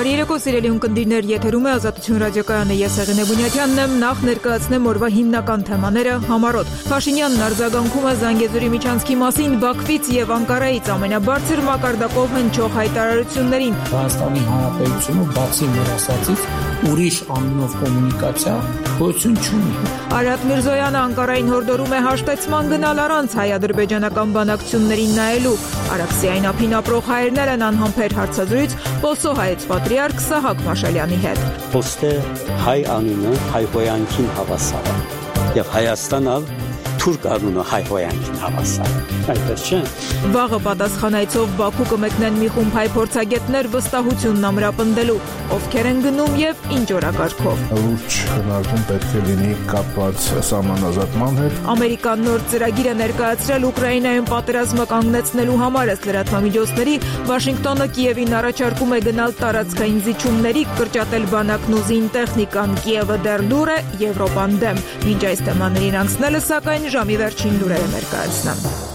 Բարի երեկո, սիրելի ունկնդիրներ, եթերում է Ազատություն ռադիոկայանը, ես Եղենե Բունյաթյանն եմ, նախ ներկայացնեմ օրվա հիմնական թեմաները համառոտ։ Փաշինյանն արձագանքում է Զանգեզուրի միջանցքի մասին Բաքվից եւ Անկարայից ամենաբարձր մակարդակով հնչող հայտարարություններին։ Հայաստանի Հանրապետությունը բացի մեր ասածից ուրիշ անունով կոմունիկացիա գոյություն չունի։ Արարատ Միրզոյանը Անկարային հորդորում է հաշտեցման գնալ առանց հայ-ադրբեջանական բանակցություններին նայելու։ Արաքսիային ափին ապրող հայերներ են անհամբեր հարցազրույց Պոսո հայոց պատրիարք Սահակ Մաշալյանի հետ։ Ոստե հայ անունը հայ հոյանքին հավասար է եւ Հայաստանը թուրք անունը հայ հոյանքին հավասար է։ Այդպես չէ։ Վաղը պատասխանայցով Բաքու կմեկնեն մի խումբ հայ փորձագետներ վստահությունն ամրապնդելու, ովքեր են գնում եւ ինչ օրակարգով։ Լուրջ քննարկում պետք է լինի կապված սահմանազատման հետ։ Ամերիկան նոր ծրագիր է ներկայացրել Ուկրաինայում պատերազմը կանգնեցնելու համար, ըստ լրատվամիջոցների, Վաշինգտոնը Կիևին առաջարկում է գնալ տարածքային զիջումների, կրճատել բանակն ու զինտեխնիկան, Կիևը դեռ լուր է, Եվրոպան դեմ։ Մինչ այս թեմաներին անցնելը, սակայն ժամի վերջին լուրերը ներկայացնեմ։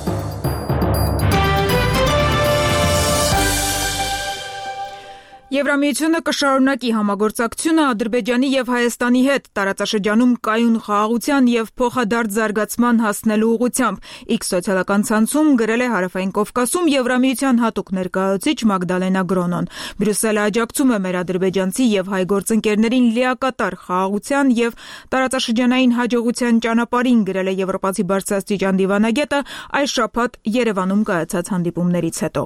Եվրամիությունը կշարունակի համագործակցությունը Ադրբեջանի եւ Հայաստանի հետ տարածաշրջանում կայուն խաղաղության եւ փոխադարձ զարգացման հասնելու ուղղությամբ։ X սոցիալական ցանցում գրել է Հարավային Կովկասում Եվրամիության հատուկ ներկայացուցիչ Մագդալենա Գրոնոն։ Բրյուսելը աջակցում է մեր ադրբեջանցի եւ հայ գործընկերներին լիակատար խաղաղության եւ տարածաշրջանային հաջողության ճանապարհին, գրել է եվրոպացի բարձրաստիճան դիվանագետը այս շաբաթ Երևանում կայացած հանդիպումներից հետո։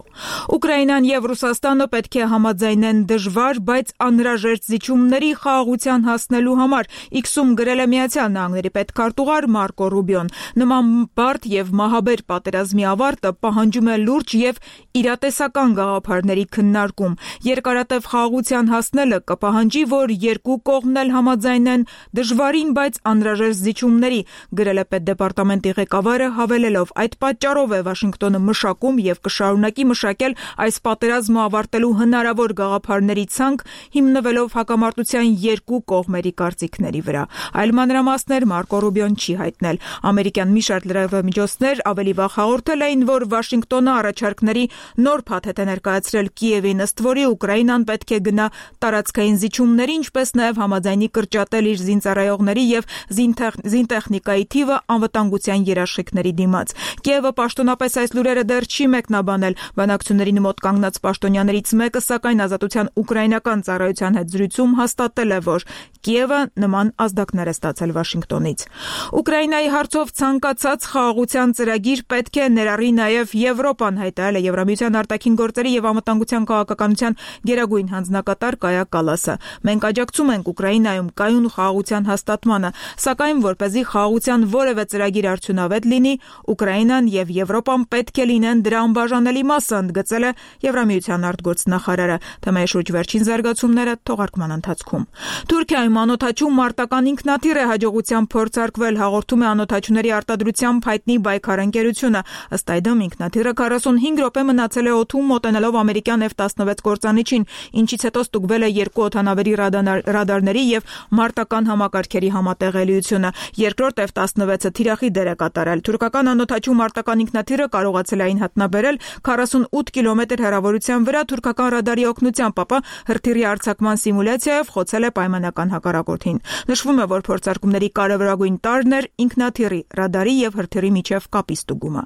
Ուկրաինան եւ Ռուսաստանը պետք է համաձայնեն դժվար, բայց անհրաժեշտ զիջումների խաղաղության հասնելու համար, X-ում գրել է Միացյալ Նահանգների պետքարտուղար Մարկո Ռուբիոն։ Նման բարդ եւ մահաբեր պատերազմի ավարտը պահանջում է լուրջ եւ իրատեսական գաղափարների քննարկում։ Երկարատև խաղաղության հասնելը կպահանջի, որ երկու կողմն էլ համաձայնեն դժվարին, բայց անհրաժեշտ զիջումների, գրել է պետդեպարտամենտի ղեկավարը, հավելելով. այդ պատճառով է Վաշինգտոնը մշակում եւ կշարունակի մշակել այս պատերազմը ավարտելու հնարավոր գաղափարների ցանկ, հիմնվելով հակամարտության երկու կողմերի կարծիքների վրա։ Այլ մանրամասներ Մարկո Ռուբիոն չի հայտնել։ Ամերիկյան մի շարք լրատվամիջոցներ ավելի վաղ հաղորդել էին, որ Վաշինգտոնը առաջարկների նոր փաթեթ է ներկայացրել Կիևին, ըստ որի Ուկրաինան պետք է գնա տարածքային զիջումների, ինչպես նաև համաձայնի կրճատել իր զինծառայողների եւ զինտեխնիկայի թիվը անվտանգության երաշխիքների դիմաց։ Կիևը պաշտոնապես այս լուրերը դեռ չի մեկնաբանել։ Բանակցություններին մոտ կանգնած պաշտոնյաներից մեկը, սակայն Ազատության ուկրաինական ծառայության հետ զրույցում հաստատել է, որ Կիևը նման ազդակներ է ստացել Վաշինգտոնից։ Ուկրաինայի հարցով ցանկացած խաղաղության ծրագիր պետք է ներառի նաև Եվրոպան, հայտարարել է Եվրամիության արտաքին գործերի եւ անվտանգության քաղաքականության գերագույն հանձնակատար Կայա Կալասը։ Մենք աջակցում ենք Ուկրաինայում կայուն խաղաղության հաստատմանը, սակայն որպեսզի խաղաղության որևէ ծրագիր արդյունավետ լինի, Ուկրաինան եւ Եվրոպան պետք է լինեն դրա անբաժանելի մասը, ընդգծել է Եվրամիության արտգործնախարարը։ Թեմայի շուրջ վերջին զարգացումները թողարկման ընթացքում։ Թուրքիայում անօդաչու մարտական ինքնաթիռ է հաջողությամբ փորձարկվել, հաղորդում է անօդաչուների արտադրությամբ հայտնի Բայքար ընկերությունը։ Ըստ այդմ ինքնաթիռը 45 րոպե մնացել է օդում, մոտենալով ամերիկյան F-16 կործանիչին, ինչից հետո ստուգվել է երկու օդանավերի ռադարների եւ մարտական համակարգերի համատեղելիությունը։ Երկրորդ F-16-ը թիրախի դեր է կատարել։ Թուրքական անօդաչու մարտական ինքնաթիռը կարողացել է այն հատնաբերել 48 կիլոմետր հեռավորության վրա թուրքական ռադարի օգնությամբ, ապա հրթիռի արձակման սիմուլյացիայով խոցել է պայմանական հակառակորդին։ Նշվում է, որ փորձարկումների կարևորագույն տարրն էր ինքնաթիռի, ռադարի եւ հրթիռի միջև կապի ստուգումը։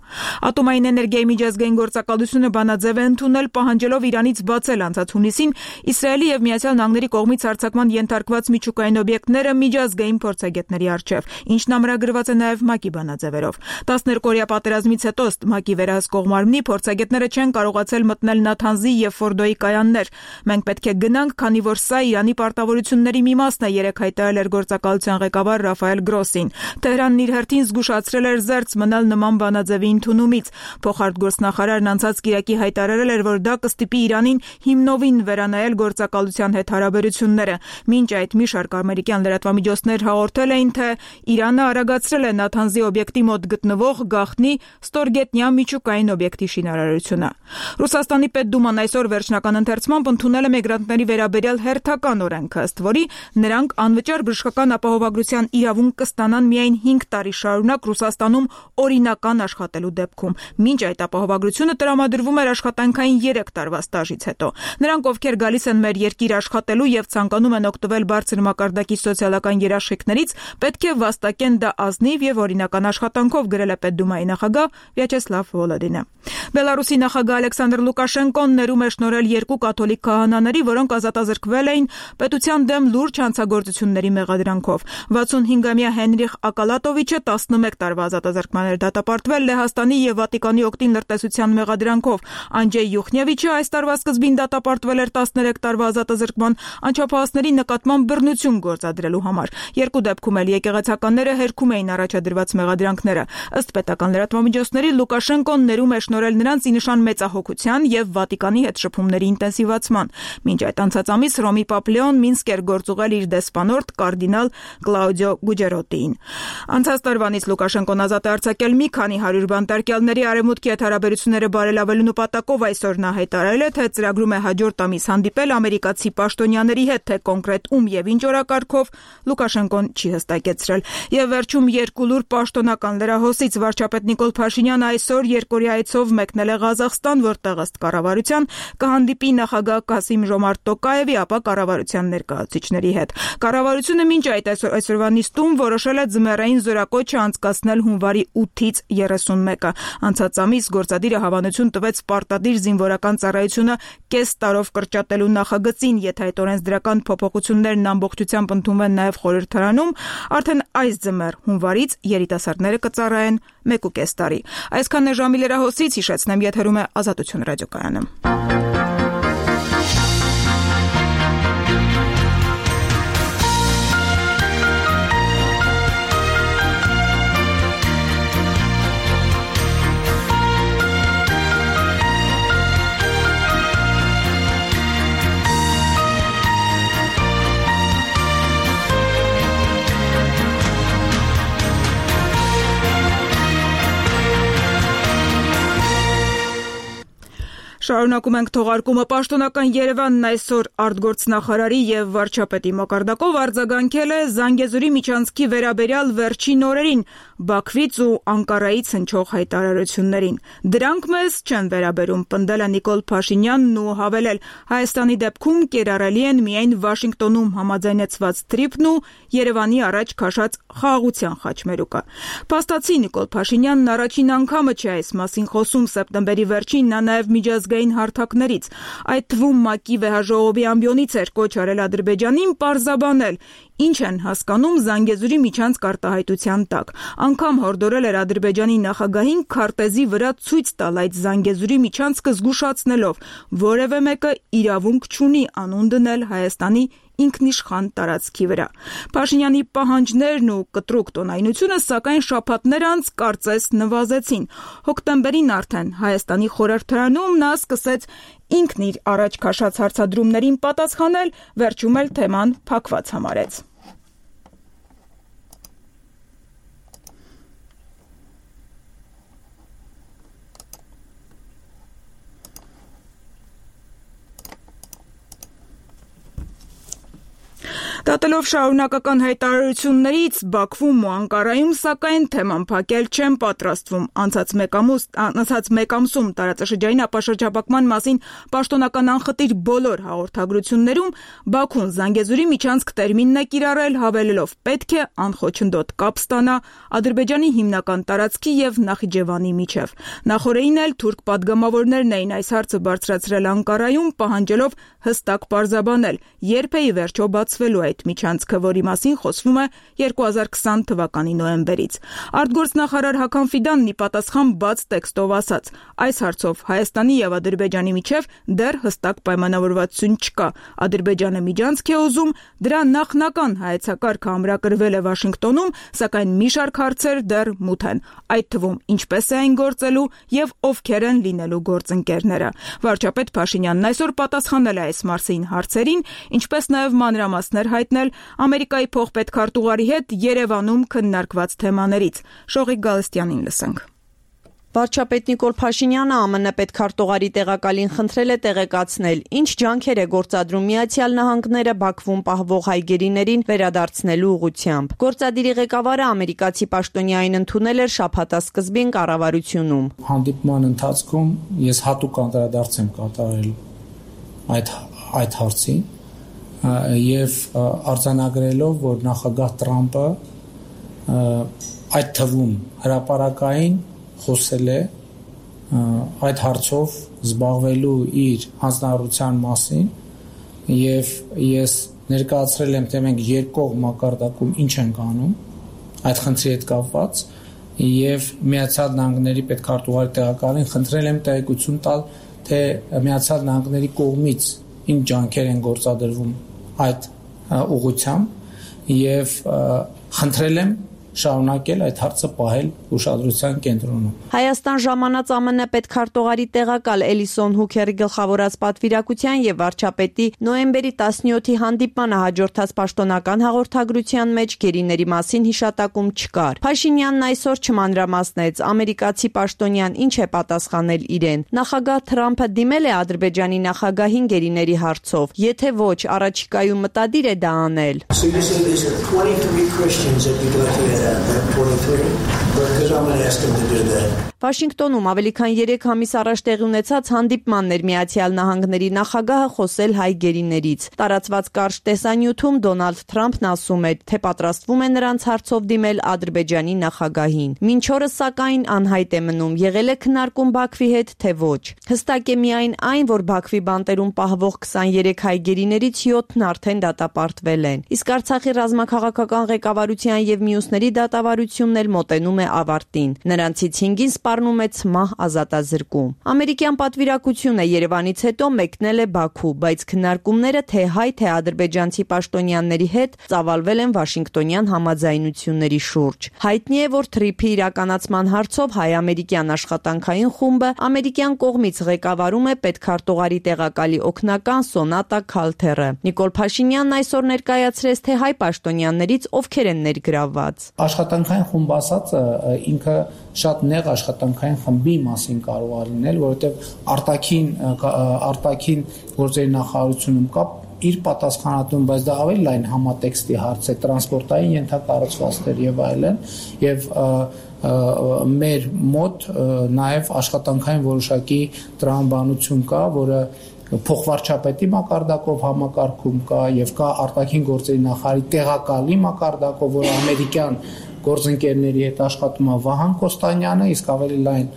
Ատոմային էներգիայի միջազգային գործակալությունը բանաձև է ընդունել, պահանջելով Իրանից բացել անցած հունիսին Իսրայելի եւ Միացյալ Նահանգների կողմից արձակման ենթարկված միջուկային օբյեկտները միջազգային փորձագետների առջև, ինչն ամրագրված է նաեւ ՄԱԿ-ի բանաձևերով։ 12-օրյա պատերազմից հետո, ըստ ՄԱԿ-ի վերահսկող մարմնի, փորձագետները չեն կարողացել մտնել Նաթանզի եւ Ֆորդոյի կայաններ։ Մենք պետք է գնանք, քանի որ սա Իրանի պարտավորությունների մի մասն է, երեք հայտարարել էր գործակալության ղեկավար Ռաֆայել Գրոսին։ Թեհրանն իր հերթին զգուշացրել էր զերծ մնալ նման բանաձևի ընդունումից։ Փոխարտգործնախարարն անցած կիրակի հայտարարել էր, որ դա կստիպի Իրանին հիմնովին վերանայել գործակալության հետ հարաբերությունները։ Մինչ այդ մի շարք ամերիկյան լրատվամիջոցներ հաղորդել էին, թե Իրանը արագացրել է Նաթանզի օբյեկտի մոտ գտնվող գաղտնի ստորգետնյա միջուկային օբյեկտի շինարարությունը։ Ռուսաստանի Պետդուման այսօր վերջնական ընթերցմամբ ընդունել ընդունել է միգրանտների վերաբերյալ հերթական օրենքը, ըստ որի նրանք անվճար բժշկական ապահովագրության իրավունք կստանան միայն 5 տարի շարունակ Ռուսաստանում օրինական աշխատելու դեպքում։ Մինչ այդ ապահովագրությունը տրամադրվում էր աշխատանքային 3 տարվա ստաժից հետո։ Նրանք, ովքեր գալիս են մեր երկիր աշխատելու եւ ցանկանում են օգտվել բարձր մակարդակի սոցիալական երաշխիքներից, պետք է վաստակեն դա ազնիվ եւ օրինական աշխատանքով, գրել է Պետդումայի նախագահ Վյաչեսլավ Վոլոդինը։ Բելարուսի նախագահ Ալեքսանդր Լուկաշենկոն ներում է շնորհել 2 կաթոլիկ քահանաների, որոնք ազատազրկվել էին պետության դեմ լուրջ հանցագործությունների մեղադրանքով։ 65-ամյա Հենրիխ Ակալատովիչը 11 տարվա ազատազրկման էր դատապարտվել Լեհաստանի եւ Վատիկանի օգտին լրտեսության մեղադրանքով։ Անջեյ Յուխնևիչը այս տարվա սկզբին դատապարտվել էր 13 տարվա ազատազրկման անչափահասների նկատմամբ բռնություն գործադրելու համար։ Երկու դեպքում էլ եկեղեցականները հերքում էին առաջադրված մեղադրանքները։ Ըստ պետական լրատվամիջոցների Լուկաշենկոն ներում է շնորհել նրանց ի նշան մեծահոգության եւ Վատիկանի հետ շփումների ինտենսիվացման։ Մինչ այդ անցած ամիս Ռոմի Պապ Լեոն Մինսկ էր գործուղել իր դեսպանորդ կարդինալ Կլաուդիո Գուջերոտիին։ Անցած տարվանից Լուկաշենկոն ազատ է արձակել մի քանի 100 բանտարկյալների արևմուտքի հետ հարաբերությունները բարելավելու նպատակով այսօր նա հայտարարել է, թե ծրագրում է հաջորդ ամիս հանդիպել ամերիկացի պաշտոնյաների հետ, թե կոնկրետ ում եւ ինչ օրակարգով Լուկաշենկոն չի հստակեցրել։ Եվ վերջում երկու լուր պաշտոնական լրահոսից վարչապետ Նիկոլ Փաշինյանը այսօր երկօրյա այցով մեկնել է Ղազախստան, որտեղ ըստ կառավարության կհանդիպի նախագահ Կասիմ Ժոմարտ Տոկաևի, ապա կառավարության ներկայացուցիչների հետ։ Կառավարությունը մինչ այդ այսօրվա նիստում որոշել է ձմեռային զորակոչը անցկացնել հունվարի 8-ից 31-ը։ Անցած ամիս գործադիրը հավանություն տվեց պարտադիր զինվորական ծառայությունը կես տարով կրճատելու նախագծին, եթե այդ օրենսդրական փոփոխություններն ամբողջությամբ ընդունվեն նաև խորհրդարանում, արդեն այս ձմեռ հունվարից երիտասարդները կծառայեն 1.5 տարի։ Այսքանն է ժամի լրահոսից, հիշեցնեմ, եթերում է Ազատություն ռադիոկայանը։ Շարունակում ենք թողարկումը։ Պաշտոնական Երևանն այսօր արտգործնախարարի եւ վարչապետի մակարդակով արձագանքել է Զանգեզուրի միջանցքի վերաբերյալ վերջին օրերին Բաքվից ու Անկարայից հնչող հայտարարություններին։ Դրանք մեզ չեն վերաբերում, պնդել է Նիկոլ Փաշինյանն ու հավելել, Հայաստանի դեպքում կիրառելի են միայն Վաշինգտոնում համաձայնեցված թրիփն ու Երևանի առաջ քաշած խաղաղության խաչմերուկը։ Փաստացի Նիկոլ Փաշինյանն առաջին անգամը չէ այս մասին խոսում, սեպտեմբերի վերջին նա նաև միջազգային հարթակներից, այդ թվում ՄԱԿ-ի վեհաժողովի ամբիոնից էր կոչ արել Ադրբեջանին պարզաբանել, ինչ են հասկանում Զանգեզուրի միջանցք արտահայտության տակ։ Անգամ հորդորել էր Ադրբեջանի նախագահին քարտեզի վրա ցույց տալ այդ Զանգեզուրի միջանցքը զգուշացնելով, որևէ մեկը իրավունք չունի անուն դնել Հայաստանի ինքնիշխան տարածքի վրա։ Փաշինյանի պահանջներն ու կտրուկ տոնայնությունը, սակայն շաբաթներ անց կարծես նվազեցին։ Հոկտեմբերին արդեն Հայաստանի խորհրդարանում նա սկսեց ինքն իր առաջ քաշած հարցադրումներին պատասխանել, վերջում էլ թեման փակված համարեց։ Դատելով շարունակական հայտարարություններից Բաքվում ու Անկարայում, սակայն թեման փակել չեն պատրաստվում։ Անցած մեկ ամսում տարածաշրջանային ապաշրջապակման մասին պաշտոնական անխտիր բոլոր հաղորդագրություններում Բաքուն Զանգեզուրի միջանցք տերմինն է կիրառել, հավելելով պետք է անխոչնդոտ կապ ստանա Ադրբեջանի հիմնական տարածքի եւ Նախիջևանի միջև։ Նախորդին էլ թուրք պատգամավորներն էին այս հարցը բարձրացրել Անկարայում, պահանջելով հստակ պարզաբանել, երբ է ի վերջո բացվելու այդ միջանցքը, որի մասին խոսվում է 2020 թվականի նոյեմբերից։ Արտգործնախարար Հական Ֆիդանն ի պատասխան բաց տեքստով ասաց. այս հարցով Հայաստանի եւ Ադրբեջանի միջև դեռ հստակ պայմանավորվածություն չկա։ Ադրբեջանը միջանցք է ուզում, դրա նախնական հայեցակարգը ամրագրվել է Վաշինգտոնում, սակայն մի շարք հարցեր դեռ մութ են, այդ թվում ինչպես է այն գործելու եւ ովքեր են լինելու գործընկերները։ Վարչապետ Փաշինյանն այսօր պատասխանել է այս մասին հարցերին, ինչպես նաեւ մանրամասներ հայտնել Ամերիկայի փոխպետքարտուղարի հետ Երևանում քննարկված թեմաներից։ Շողիկ Գալստյանին լսենք։ Վարչապետ Նիկոլ Փաշինյանը ԱՄՆ պետքարտուղարի տեղակալին խնդրել է տեղեկացնել, ինչ ջանքեր է գործադրում Միացյալ Նահանգները Բաքվում պահվող հայ գերիներին վերադարձնելու ուղղությամբ։ Գործադիրի ղեկավարը ամերիկացի պաշտոնյային ընդունել էր շաբաթասկզբին կառավարությունում։ Հանդիպման ընթացքում ես հատուկ անդրադարձ եմ կատարել այդ հարցին եւ արձանագրելով, որ նախագահ Տրամպը այդ թվում հրապարակային խոսել է այդ հարցով զբաղվելու իր հանձնարարության մասին եւ ես ներկայացրել եմ, թե մենք երկկողմ մակարդակում ինչ ենք անում այդ խնդրի հետ կապված եւ Միացյալ Նահանգների պետքարտուղարի տեղակալին խնդրել եմ տեղեկություն տալ, թե Միացյալ Նահանգների կողմից ինչ ջանքեր են գործադրվում այդ ուղղությամբ եւ խնդրել եմ շարունակել այդ հարցը պահել ուշադրության կենտրոնում։ Հայաստան ժամանած ԱՄՆ պետքարտուղարի տեղակալ Էլիսոն Հուքերի գլխավորած պատվիրակության եւ վարչապետի նոյեմբերի 17-ի հանդիպմանը հաջորդած պաշտոնական հաղորդագրության մեջ գերիների մասին հիշատակում չկար։ Փաշինյանն այսօր չմանրամասնեց ամերիկացի պաշտոնյան ինչ է պատասխանել իրեն։ Նախագահ Թրամփը դիմել է Ադրբեջանի նախագահին գերիների հարցով։ Եթե ոչ, առաջիկայում մտադիր է դա անել։ Վաշինգտոնում ավելի քան 3 ամիս առաջ տեղի ունեցած հանդիպմանն էր Միացյալ Նահանգների նախագահը խոսել հայ գերիներից։ Տարածված կարճ տեսանյութում Դոնալդ Թրամփն ասում է, թե պատրաստվում է նրանց հարցով դիմել Ադրբեջանի նախագահին։ Մինչ օրս սակայն անհայտ է մնում, եղել է քննարկում Բաքվի հետ, թե ոչ։ Հստակ է միայն այն, որ Բաքվի բանտերում պահվող 23 հայ գերիներից 7-ն արդեն դատապարտվել են։ Իսկ Արցախի ռազմաքաղաքական ղեկավարության եւ մյուսների դատավարությունն էլ մոտենում է ավարտին։ Նրանցից 5-ին սպառնում է ցմահ ազատազրկում։ Ամերիկյան պատվիրակությունը Երևանից հետո մեկնել է Բաքու, բայց քննարկումները թե հայ, թե ադրբեջանցի պաշտոնյաների հետ ծավալվել են Վաշինգտոնյան համաձայնությունների շուրջ։ Հայտնի է, որ թրիփի իրականացման հարցով հայ-ամերիկյան աշխատանքային խումբը ամերիկյան կողմից ղեկավարում է պետքարտուղարի տեղակալի օգնական Սոնատա Քալթերը։ Նիկոլ Փաշինյանն այսօր ներկայացրեց, թե հայ պաշտոնյաներից ովքեր են ներգրավված։ Աշխատանքային խումբ ասածը ինքը շատ նեղ աշխատանքային խմբի մասին կարող է լինել, որովհետև արտաքին գործերի նախարարությունում կա իր պատասխանատուն, բայց դա ավելի լայն համատեքստի հարց է, տրանսպորտային ենթակառուցվածքներ եւ այլն, եւ մեր մոտ նաեւ աշխատանքային որոշակի տրամաբանություն կա, որը փոխվարչապետի մակարդակով համակարգում կա եւ կա արտաքին գործերի նախարարի տեղակալի մակարդակով, որը ամերիկյան գործընկերների հետ աշխատում է Վահան Կոստանյանը, իսկ ավելի լայն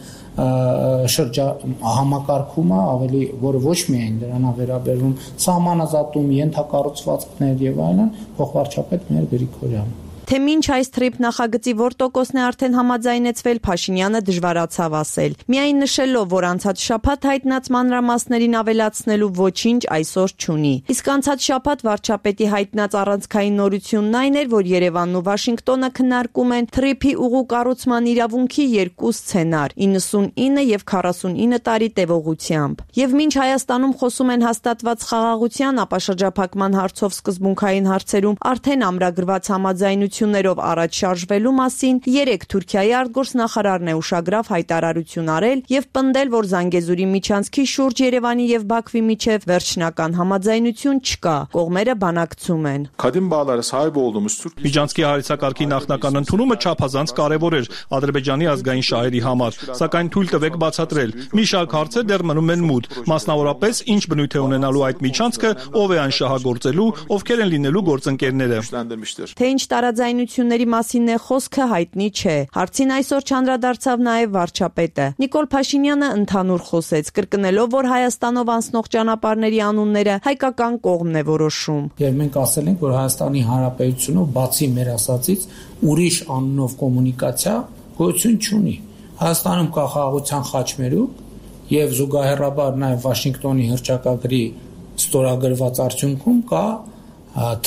համակարգումը, ավելի, որը ոչ միայն դրան է վերաբերվում, սահմանազատում, ենթակառուցվածքներ եւ այլն, փոխվարչապետ մեր Գրիգորյանը։ Թե մինչ այս թրիփ նախագծի որ տոկոսն է արդեն համաձայնեցվել, Փաշինյանը դժվարացավ ասել։ Միայն նշելով, որ անցած շաբաթ հայտնած մանրամասներին ավելացնելու ոչինչ այսօր չունի։ Իսկ անցած շաբաթ վարչապետի հայտնած առանցքային նորությունն այն էր, որ Երևանն ու Վաշինգտոնը քննարկում են թրիփի ուղու կառուցման իրավունքի 2 սցենար՝ 99 եւ 49 տարի տևողությամբ։ Եվ մինչ Հայաստանում խոսում են հաստատված խաղաղության, ապա շրջափակման հարցով սկզբունքային հարցերում արդեն ամրագրված համաձայնություններով առաջ շարժվելու մասին 3 Թուրքիայի արտգործնախարարն է ուշագրավ հայտարարություն արել եւ պնդել, որ Զանգեզուրի միջանցքի շուրջ Երևանի եւ Բաքվի միջև վերջնական համաձայնություն չկա, կողմերը բանակցում են։ Միջանցքի հարցակարգի նախնական ընդունումը չափազանց կարևոր էր Ադրբեջանի ազգային շահերի համար, սակայն թույլ տվեք բացատրել։ Մի շարք հարցեր դեռ մնում են մութ, մասնավորապես ինչ բնույթ է ունենալու այդ միջանցքը, ով է այն շահագործելու, ովքեր են լինելու գործընկերները։ Թե ինչ տարաձայնությունների մասին է խոսքը հայտնի չէ։ Հարցին այսօր չանդրադարձավ նաև վարչապետը։ Նիկոլ Փաշինյանը ընդհանուր խոսեց, կրկնելով, որ Հայաստանով անցնող ճանապարհների անունները հայկական կողմն է որոշում։ Եվ մենք ասել ենք, որ Հայաստանի Հանրապետությունով բացի մեր ասածից ուրիշ անունով կոմունիկացիա գոյություն չունի։ Հայաստանում կա խաղաղության խաչմերուկ եւ զուգահեռաբար նաեւ Վաշինգտոնի հռչակագրի ստորագրված արդյունքում կա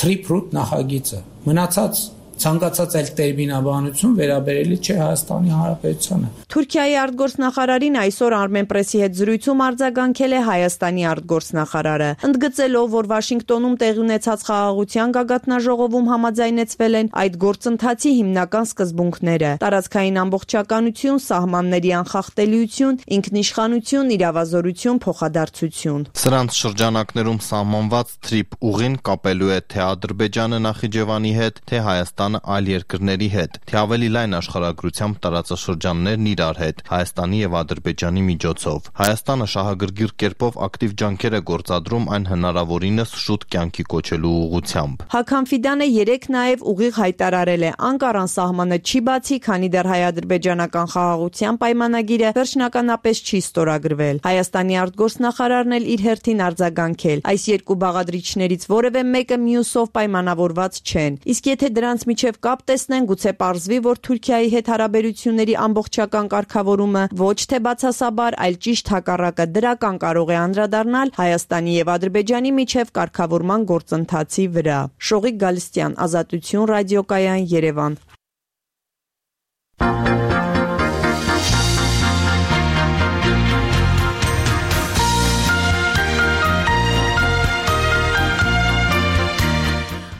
Trip Route նախագիծը։ Մնացած ցանկացած այլ տերմինաբանություն վերաբերելի չէ Հայաստանի Հանրապետությանը։ Թուրքիայի արտգործնախարարին այսօր Armenpress-ի հետ զրույցում արձագանքել է Հայաստանի արտգործնախարարը, ընդգծելով, որ Վաշինգտոնում տեղի ունեցած խաղաղության գագաթնաժողովում համաձայնեցվել են այդ գործընթացի հիմնական սկզբունքները՝ տարածքային ամբողջականություն, սահմանների անխախտելիություն, ինքնիշխանություն, իրավազորություն, փոխադարձություն։ Սրանց շրջանակներում սահմանված թրիփ ուղին կապելու է թե Ադրբեջանը Նախիջևանի հետ, թե Հայաստանը այլ երկրների հետ, թե ավելի լայն աշխարհագրությամբ տարածաշրջաններն իրար հետ, Հայաստանի եւ Ադրբեջանի միջոցով։ Հայաստանը շահագրգիռ կերպով ակտիվ ջանքեր է գործադրում այն հնարավորինս շուտ կյանքի կոչելու ուղղությամբ։ Հակամ Ֆիդանը երեկ նաև ուղիղ հայտարարել է, անկարան սահմանը չի բացի, քանի դեռ հայ-ադրբեջանական խաղաղության պայմանագիրը վերջնականապես չի ստորագրվել։ Հայաստանի արտգործնախարարն էլ իր հերթին արձագանքել։ Այս երկու բաղադրիչներից որևէ մեկը մյուսով պայմանավորված չեն։ Իսկ եթե դրանց միջև կապ տեսնեն, գուցե պարզվի, որ Թուրքիայի հետ հարաբերությունների ամբողջական կարգավորումը ոչ թե բացասաբար, այլ ճիշտ հակառակը դրական կարող է անդրադառնալ Հայաստանի եւ Ադրբեջանի միջև կարգավորման գործընթացի վրա։ Շողիկ Գալստյան, Ազատություն ռադիոկայան, Երևան։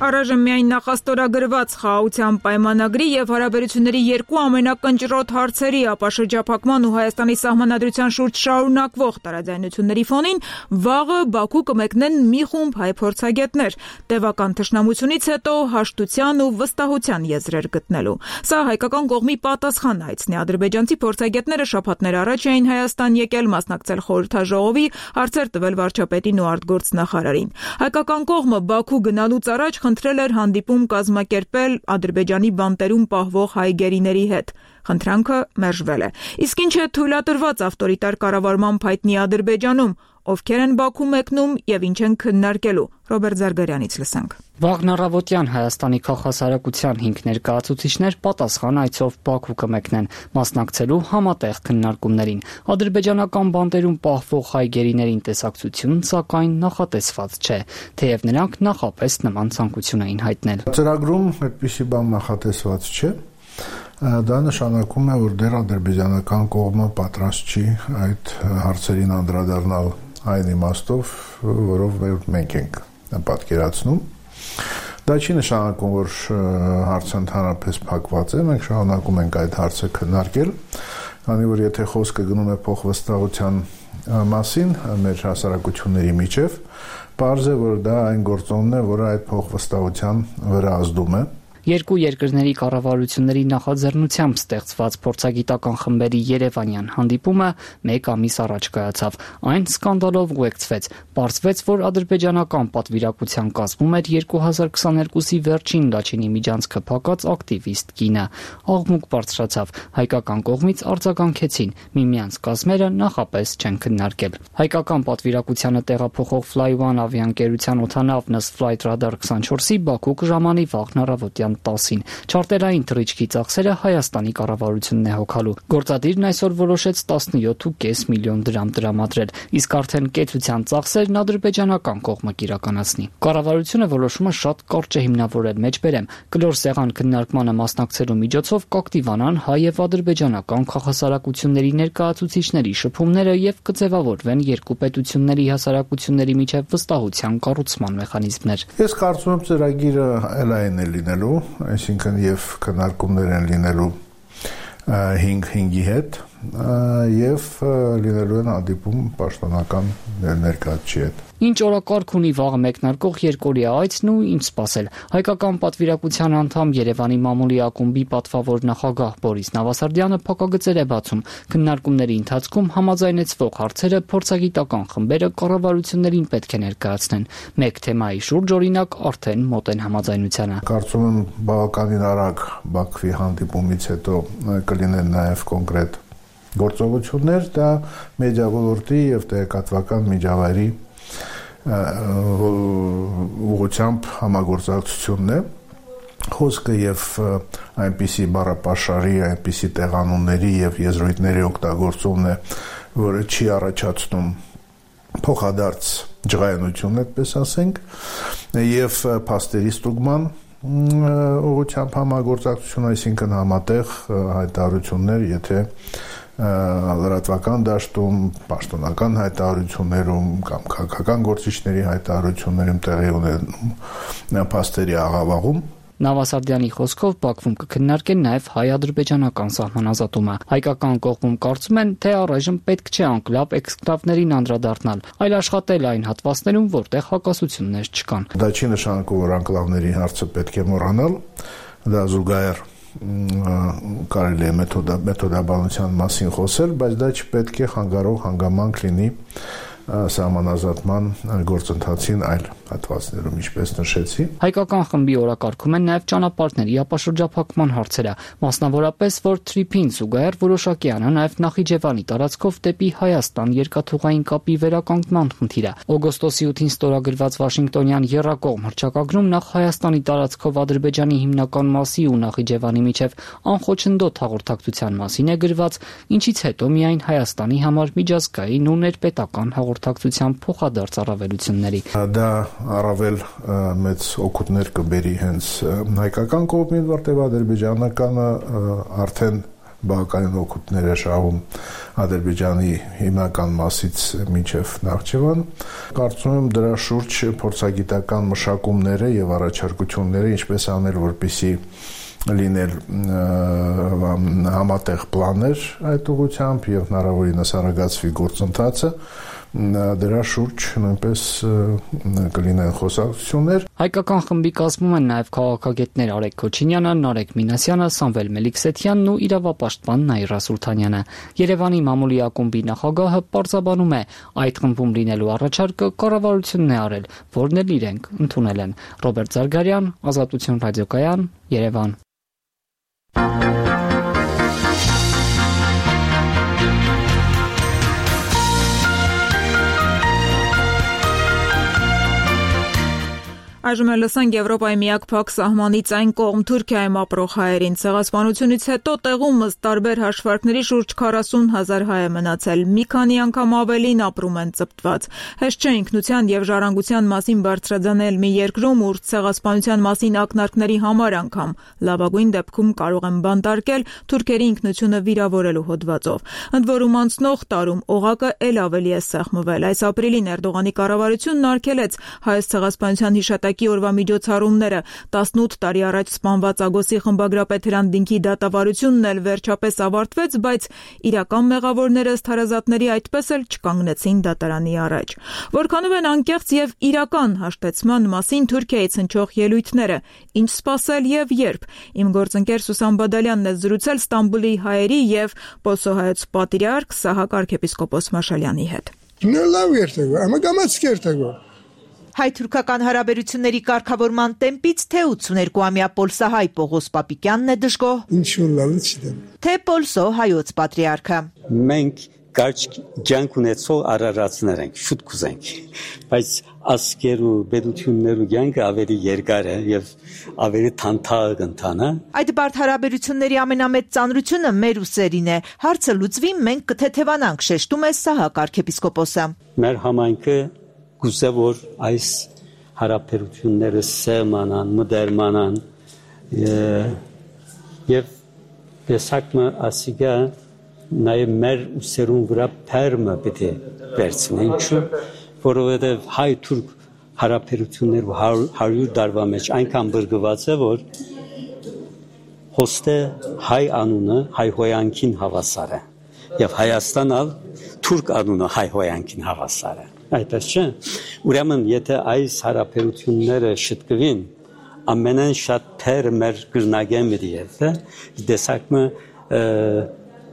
Առայժմ միայն նախաստորագրված խաղաղության պայմանագրի եւ հարաբերությունների երկու ամենակնճռոտ հարցերի ապաշրջափակման ու Հայաստանի սահմանադրության շուրջ շարունակվող տարաձայնությունների ֆոնին վաղը Բաքու կմեկնեն մի խումբ հայ փորձագետներ, տևական թշնամությունից հետո հաշտության ու վստահության եզրեր գտնելու։ Սա հայկական կողմի պատասխան հայցն է։ Ադրբեջանցի փորձագետները շաբաթներ առաջ էին Հայաստան եկել մասնակցել խորհրդաժողովի, հարցեր տվել վարչապետին ու արտգործնախարարին։ Հայկական կողմը Բաքու գնալուց առաջ խնդրել էր հանդիպում կազմակերպել Ադրբեջանի բանտերում պահվող հայ գերիների հետ։ Խնդրանքը մերժվել է։ Իսկ ինչ է թույլատրված ավտորիտար կառավարման փայտնի Ադրբեջանում, ովքեր են Բաքու մեկնում եւ ինչ են քննարկելու։ Ռոբերտ Զարգարյանից լսենք։ Վաղն առավոտյան Հայաստանի քաղաքասարակության 5 ներկայացուցիչներ պատասխան այցով Բաքու կմեկնեն, մասնակցելու համատեղ քննարկումներին։ Ադրբեջանական բանտերում պահվող հայ գերիներին տեսակցություն, սակայն նախատեսված չէ, թեև նրանք նախապես նման ցանկություն էին հայտնել։ Ծրագրում այդպիսի բան նախատեսված չէ։ Դա նշանակում է, որ դեռ ադրբեջանական կողմը պատրաստ չի այդ հարցերին անդրադառնալ այն իմաստով, որով մենք ենք պատկերացնում։ Դա չի նշանակում, որ հարցը ընդհանրապես փակված է, մենք շարունակում ենք այդ հարցը քննարկել, քանի որ եթե խոսքը գնում է փոխվստահության մասին մեր հասարակությունների միջև, պարզ է, որ դա այն գործոնն է, որը այդ փոխվստահության վրա ազդում է։ Երկու երկրների կառավարությունների նախաձեռնությամբ ստեղծված փորձագիտական խմբերի Երևանյան հանդիպումը 1 ամիս առաջ կայացավ։ Այն սկանդալով ուղեկցվեց։ Պարզվեց, որ ադրբեջանական պատվիրակության կազմում էր 2022-ի վերջին Լաչինի միջանցքը փակած ակտիվիստ կինը։ Աղմուկ բարձրացավ։ Հայկական կողմից արձագանքեցին։ Միմյանց կազմերը նախապես չեն քննարկել։ Հայկական պատվիրակությանը տեղափոխող Fly1 ավիաընկերության օդանավ Newsflight Radar 24-ի Բաքու կժամանի վաղն առավոտյան 10-ին։ Չարտերային թռիչքի ծախսերը Հայաստանի կառավարությունն է հոգալու։ Գործադիրն այսօր որոշեց 17.5 միլիոն դրամ տրամադրել, իսկ արդեն կեցության ծախսերն ադրբեջանական կողմը կիրականացնի։ Կառավարությունը որոշումը շատ կարճ է հիմնավորել, մեջբերեմ, կլոր սեղան քննարկմանը մասնակցելու միջոցով կակտիվանան հայ եւ ադրբեջանական քաղաքասարակությունների ներկայացուցիչների շփումները եւ կձևավորվեն երկու պետությունների հասարակությունների միջև վստահության կառուցման մեխանիզմներ։ Ես կարծում եմ ծրագիրը այն է լինելու, այսինքն եւ քննարկումներ են լինելու 5-ի հետ եւ լինելու են հանդիպում պաշտոնական ներկայացուցիչի հետ։ Ինչ օրակարգ ունի վաղը մեկնարկող երկօրյա այցն ու ինչ սպասել։ Հայկական պատվիրակության անդամ Երևանի մամուլի ակումբի պատվավոր նախագահ Բորիս Նավասարդյանը փակագծեր է բացում։ Քննարկումների ընթացքում համաձայնեցվող հարցերը փորձագիտական խմբերը կառավարություններին պետք է ներկայացնեն։ Մեկ թեմայի շուրջ օրինակ արդեն մոտ են համաձայնությանը։ Կարծում եմ բավականին արագ Բաքվի հանդիպումից հետո կլինեն նաև կոնկրետ գործողություններ, դա մեդիա ոլորտի եւ տեղեկատվական միջավայրի ուղղությամբ համագործակցությունն է, խոսքը եւ այնպիսի բառապաշարի, այնպիսի տեղանունների եւ եզրույթների օգտագործումն է, որը չի առաջացնում փոխադարձ ջղայնություն, այդպես ասենք, եւ փաստերի ստուգման ուղղությամբ համագործակցություն, այսինքն համատեղ հայտարարություններ, եթե լրատվական դաշտում, պաշտոնական հայտարարություններում կամ քաղաքական գործիչների հայտարարություններում տեղի ունենում փաստերի աղավաղում։ Նավասարդյանի խոսքով Բաքվում կքննարկեն նաև հայ-ադրբեջանական սահմանազատումը։ Հայկական կողմում կարծում են, թե առայժմ պետք չէ անկլավ էքսկլավներին անդրադառնալ, այլ աշխատել այն հատվածներում, որտեղ հակասություններ չկան։ Դա չի նշանակում, որ անկլավների հարցը պետք է մոռանալ, դա զուգահեռ կարելի է մեթոդաբանության մասին խոսել, բայց դա չպետք է խանգարող հանգամանք լինի սահմանազատման գործընթացին այլ հատվածներում, ինչպես նշեցի։ Հայկական խմբի օրակարգում են նաև ճանապարհների ապաշրջափակման հարցերը, մասնավորապես, որ Թրիփին զուգահեռ որոշակի անա նաև Նախիջևանի տարածքով դեպի Հայաստան երկաթուղային կապի վերականգնման խնդիրը։ Օգոստոսի 8-ին ստորագրված Վաշինգտոնյան եռակողմ հռչակագրում նախ Հայաստանի տարածքով Ադրբեջանի հիմնական մասի ու Նախիջևանի միջև անխոչնդոտ հաղորդակցության մասին է գրված, ինչից հետո միայն Հայաստանի համար միջազգային ու ներպետական հաղորդակցության փոխադարձ առավելությունների։ Դա առավել մեծ օգուտներ կբերի հենց հայկական կողմին, որտեղ ադրբեջանականը արդեն բավականին օգուտներ է շահում Ադրբեջանի հիմնական մասից մինչև Նախճեվան։ Կարծում եմ դրա շուրջ փորձագիտական մշակումները եւ առաջարկությունները ինչպես անել, որպեսզի լինել համատեղ պլաններ այդ ուղղությամբ եւ հնարավորինս արագացվի գործընթացը, դրա շուրջ նույնպես կլինեն խոսակցություններ։ Հայկական խմբի կազմում են նաև քաղաքագետներ Արեգ Քոչինյանը, Նարեկ Մինասյանը, Սամվել Մելիքսեթյանն ու իրավապաշտպան Նաիրա Սուլթանյանը։ Երևանի մամուլի ակումբի նախագահը պարզաբանում է, այդ խմբում լինելու առաջարկը կառավարությունն է արել, որն էլ իրենք ընդունել են։ Ռոբերտ Զարգարյան, Ազատություն ռադիոկայան, Երևան։ Այժմ լսենք Եվրոպայի միակ փակ սահմանից այն կողմ Թուրքիայում ապրող հայերին։ Ցեղասպանությունից հետո տեղում ըստ տարբեր հաշվարկների շուրջ 40,000 հայ է մնացել։ Մի քանի անգամ ավելին ապրում են ծպտված։ Հեշտ չէ ինքնության եւ ժառանգության մասին բարձրաձանել մի երկրում, ուր ցեղասպանության մասին ակնարկների համար անգամ լավագույն դեպքում կարող են բանտարկել թուրքերի ինքնությունը վիրավորելու հոդվածով։ Ընդ որում անցնող տարում օղակը ել ավելի է սեղմվել։ Այս ապրիլին Էրդողանի կառավարությունն արգելեց հայոց ցեղասպանության հիշատակի օրվա միջոցառումները։ 18 տարի առաջ սպանված Ագոսի խմբագրապետ Հրանտ Դինքի դատավարությունն էլ վերջապես ավարտվեց, բայց իրական մեղավորները ըստ հարազատների այդպես էլ չկանգնեցին դատարանի առաջ։ Որքանով են անկեղծ եւ իրական հաշտեցման մասին Թուրքիայից հնչող ելույթները, ինչ սպասել եւ երբ։ Իմ գործընկեր Սուսան Բադալյանն է զրուցել Ստամբուլի հայերի եւ Պոսոհայոց պատրիարք Սահակ arczepiskopos Մաշալյանի հետ։ Հայ-թուրքական հարաբերությունների կարգավորման տեմպից թե 82-ամյա Պոլսահայ Պողոս Պապիկյանն է դժգոհ, թե Պոլսո հայոց պատրիարքը։ Մենք կարճ կյանք ունեցող արարածներ ենք, շուտ կուզենք, բայց ասկեր ու բեդություններ ու կյանքը ավելի երկար է եւ ավելի թանթաղ ընթանա։ Այդ բարդ հարաբերությունների ամենամեծ ծանրությունը մեր ուսերին է։ Հարցը լուծվի, մենք կթեթևանանք, շեշտում է Սահակ arczepiskopos-ը։ Մեր համայնքը գուցե որ այս հարաբերությունները սերմանան, մդերմանան եւ տեսակը ասիգա նաեւ մեր ուսերուն վրա փերմը պետք է վերցնեն, ինչու որովհետեւ հայ-թուրք հարաբերությունները 100 տարվա մեջ այնքան բրգված է, որ հոստե հայ անունը հայ հոյանքին հավասար է եւ Հայաստանը թուրք անունը հայ հոյանքին հավասար է։ Այդպես չէ։ Ուրեմն եթե այս հարաբերությունները շտկվին, ամենեն շատ թեր մեր գրնագեն միտիեթե, դեսակը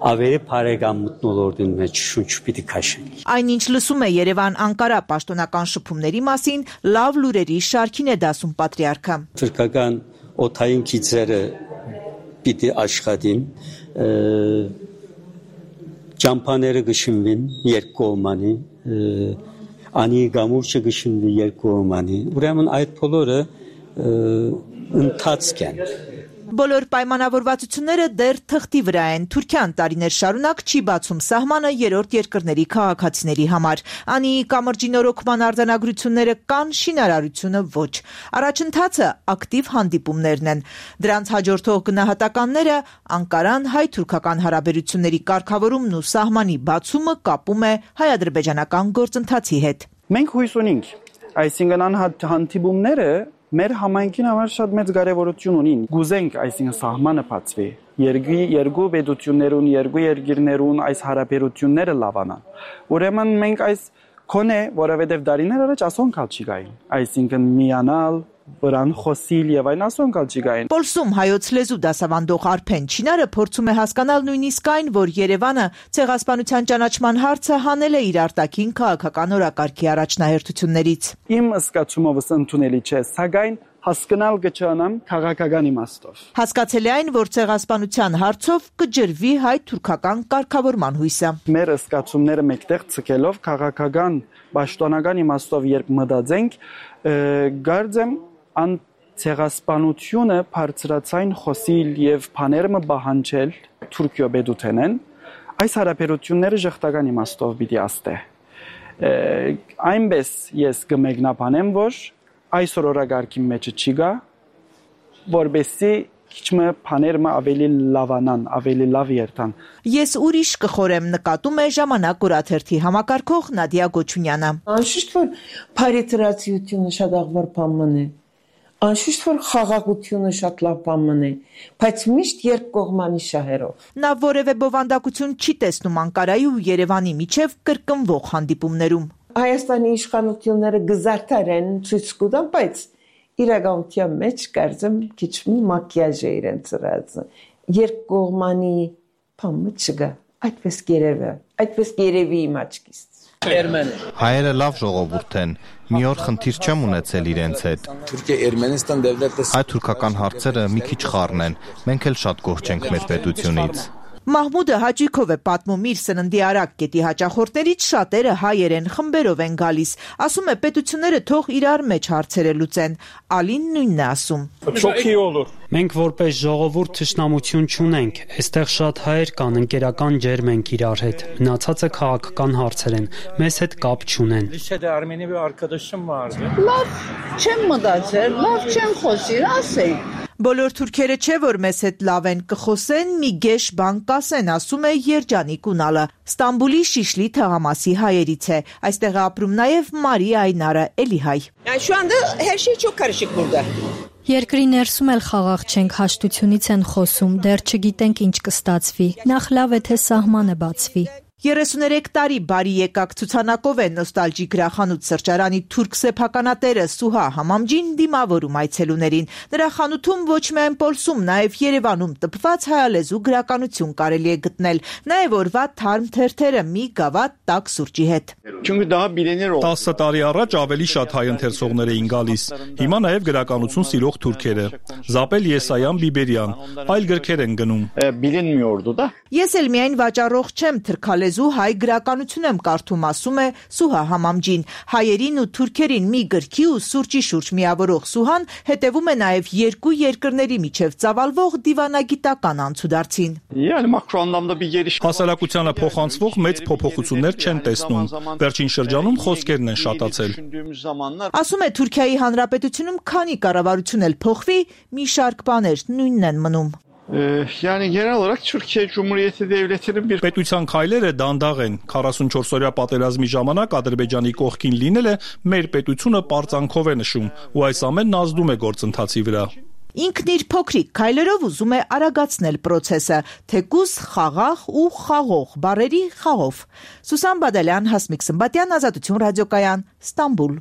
ավելի բարեկամ մտնոլորտին մեջ շունչ պիտի քաշենք։ Այնինչ լսում է Երևան-Անկարա պաշտոնական շփումների մասին, լավ լուրերի շարքին է դասում պատրիարքը։ Թուրքական օթային քիծերը պիտի աշխատին, ճամփաները գշինվին երկկողմանի, անի գամուրջը գշինվի երկկողմանի։ Ուրեմն այդ բոլորը ընթացք են։ Բոլոր պայմանավորվածությունները դեռ թղթի վրա են։ Թուրքիան տարիներ շարունակ չի բացում սահմանը երրորդ երկրների քաղաքացիների համար։ Անի կամրջի նորոգման արձանագրությունները կան, շինարարությունը ոչ։ Առաջընթացը ակտիվ հանդիպումներն են։ Դրանց հաջորդող գնահատականները Անկարան հայ-թուրքական հարաբերությունների կարգավորումն ու սահմանի բացումը կապում է հայ-ադրբեջանական գործընթացի հետ։ Մենք հույս ունենք, այսինքն հանդիպումները մեր համայնքին համար շատ մեծ կարևորություն ունին։ Գուզենք, այսինքն սահմանը բացվի։ Երկու պետություններուն, երկու երկիրներուն այս հարաբերությունները լավանան։ Ուրեմն մենք այս կոնե, որովհետև դարիներ առաջ ասոնքալ չի գային։ Այսինքն միանալ, վրան խոսիլ եւ այն ասոնքալ չի գային։ Պոլսում հայոց լեզու դասավանդող Արփեն Չինարը փորձում է հասկանալ նույնիսկ այն, որ Երևանը ցեղասպանության ճանաչման հարցը հանել է իր արտաքին քաղաքական օրակարգի առաջնահերթություններից։ Իմ զգացումովս ընդունելի չէ, սակայն հասկանալ կչանամ քաղաքական իմաստով։ Հասկացել է այն, որ ցեղասպանության հարցով կջրվի հայ-թուրքական կարգավորման հույսը։ Մեր զգացումները մեկտեղ ցկելով քաղաքական պաշտոնական իմաստով երբ մտածենք, գարձեմ ան ցեղասպանությունը բարձրացային խոսիլ եւ բաները բահանջել Թուրքիո բեդութենեն այս հարաբերությունները ժողտական իմաստով պիտի աստե։ Այնպես ես կմեկնաբանեմ, որ այսօր օրագարկի մեջը չի գա, որբեսի քիչմը բաները ավելի լավանան, ավելի լավ երթան։ Ես ուրիշ կխորեմ, նկատում է Ժամանակ օրաթերթի համակարգող Նադիա Գոչունյանը։ Անշուշտ որ բարետրացիությունը շատ աղբար բան է։ Անշուշտ որ խաղաղությունը շատ լավ բան է, բայց միշտ երկկողմանի շահերով։ Նա որևէ բովանդակություն չի տեսնում Անկարայի ու Երևանի միջև կրկնվող հանդիպումներում։ Հայաստանի իշխանությունները գզարդարեն ցույց կտան, բայց իրականության մեջ կարծեմ քիչ մի մակիաժ է իրենց ծրածը։ Երկկողմանի բանը չկա, այդպես երևի իմ աչքից։ Հայերը լավ ժողովուրդ են, մի օր խնդիր չեմ ունեցել իրենց հետ։ Հայ-թուրքական հարցերը մի քիչ խառն են, մենք էլ շատ գոհ չենք մեր պետությունից։ Մահմուդը հաճույքով է պատմում իր սննդի արագ կետի հաճախորդներից շատերը հայերեն խմբերով են գալիս։ Ասում է պետությունները թող իրար մեջ հարցերը լուծեն։ Ալին նույնն է ասում։ Մենք որպես ժողովուրդ թշնամություն չունենք, այստեղ շատ հայեր կան, ընկերական ջերմ ենք իրար հետ։ Մնացածը քաղաքական հարցեր են, մեզ հետ կապ չունեն։ Լավ չեմ մտածել, լավ չեմ խոսիր, ասեի։ Բոլոր թուրքերը չէ, որ մեզ հետ լավ են, կխոսեն, մի գեշ բան կասեն, ասում է Երջանիկ Ունալը։ Ստամբուլի Շիշլի թաղամասի հայերից է։ Այստեղ է ապրում նաև Մարի Այնարը, էլի հայ։ Երկրի ներսում էլ խաղաղ չենք, հաշտությունից են խոսում, դեռ չգիտենք ինչ կստացվի։ Նախ լավ է, թե սահմանը բացվի։ 33 տարի բարի եկակ ցուցանակով է նոստալջի գրախանութ սրճարանի թուրք սեփականատերը Սուհա Համամջին դիմավորում այցելուներին։ Նրա խանութում ոչ միայն Պոլսում, նաև Երևանում տպված հայալեզու գրականություն կարելի է գտնել, նաև օրվա թարմ թերթերը մի գավաթ տաք սուրճի հետ։ 10 տարի առաջ ավելի շատ հայ ընթերցողներ էին գալիս։ Հիմա նաև գրականություն սիրող թուրքերը։ Զապել Եսայան Բիբերյան, այլ գրքեր են գնում։ Ես էլ միայն վաճառող չեմ, թրքալեզու հայ գրականություն եմ կարդում, ասում է Սուհա Համամջին։ Հայերին ու թուրքերին մի գրքի ու սուրճի շուրջ միավորող Սուհան հետևում է նաև երկու երկրների միջև ծավալվող դիվանագիտական անցուդարձին։ Հասարակությանը փոխանցվող մեծ փոփոխություններ չեն տեսնում։ Վերջին շրջանում խոսքերն են շատացել։ Ասում է Թուրքիայի Հանրապետությունում քանի կառավարություն էլ փոխվի, մի շարք բաներ նույնն են մնում։ Պետության քայլերը դանդաղ են։ 44-օրյա պատերազմի ժամանակ Ադրբեջանի կողքին լինելը մեր պետությունը պարծանքով է նշում, ու այս ամենն ազդում է գործընթացի վրա։ Ինքն իր փոքրիկ քայլերով ուզում է արագացնել process-ը, թեկուզ խաղաղ ու խաղող բառերի խաղով։ Սուսան Բադալյան, Հասմիկ Սմբատյան, Ազատություն ռադիոկայան, Ստամբուլ։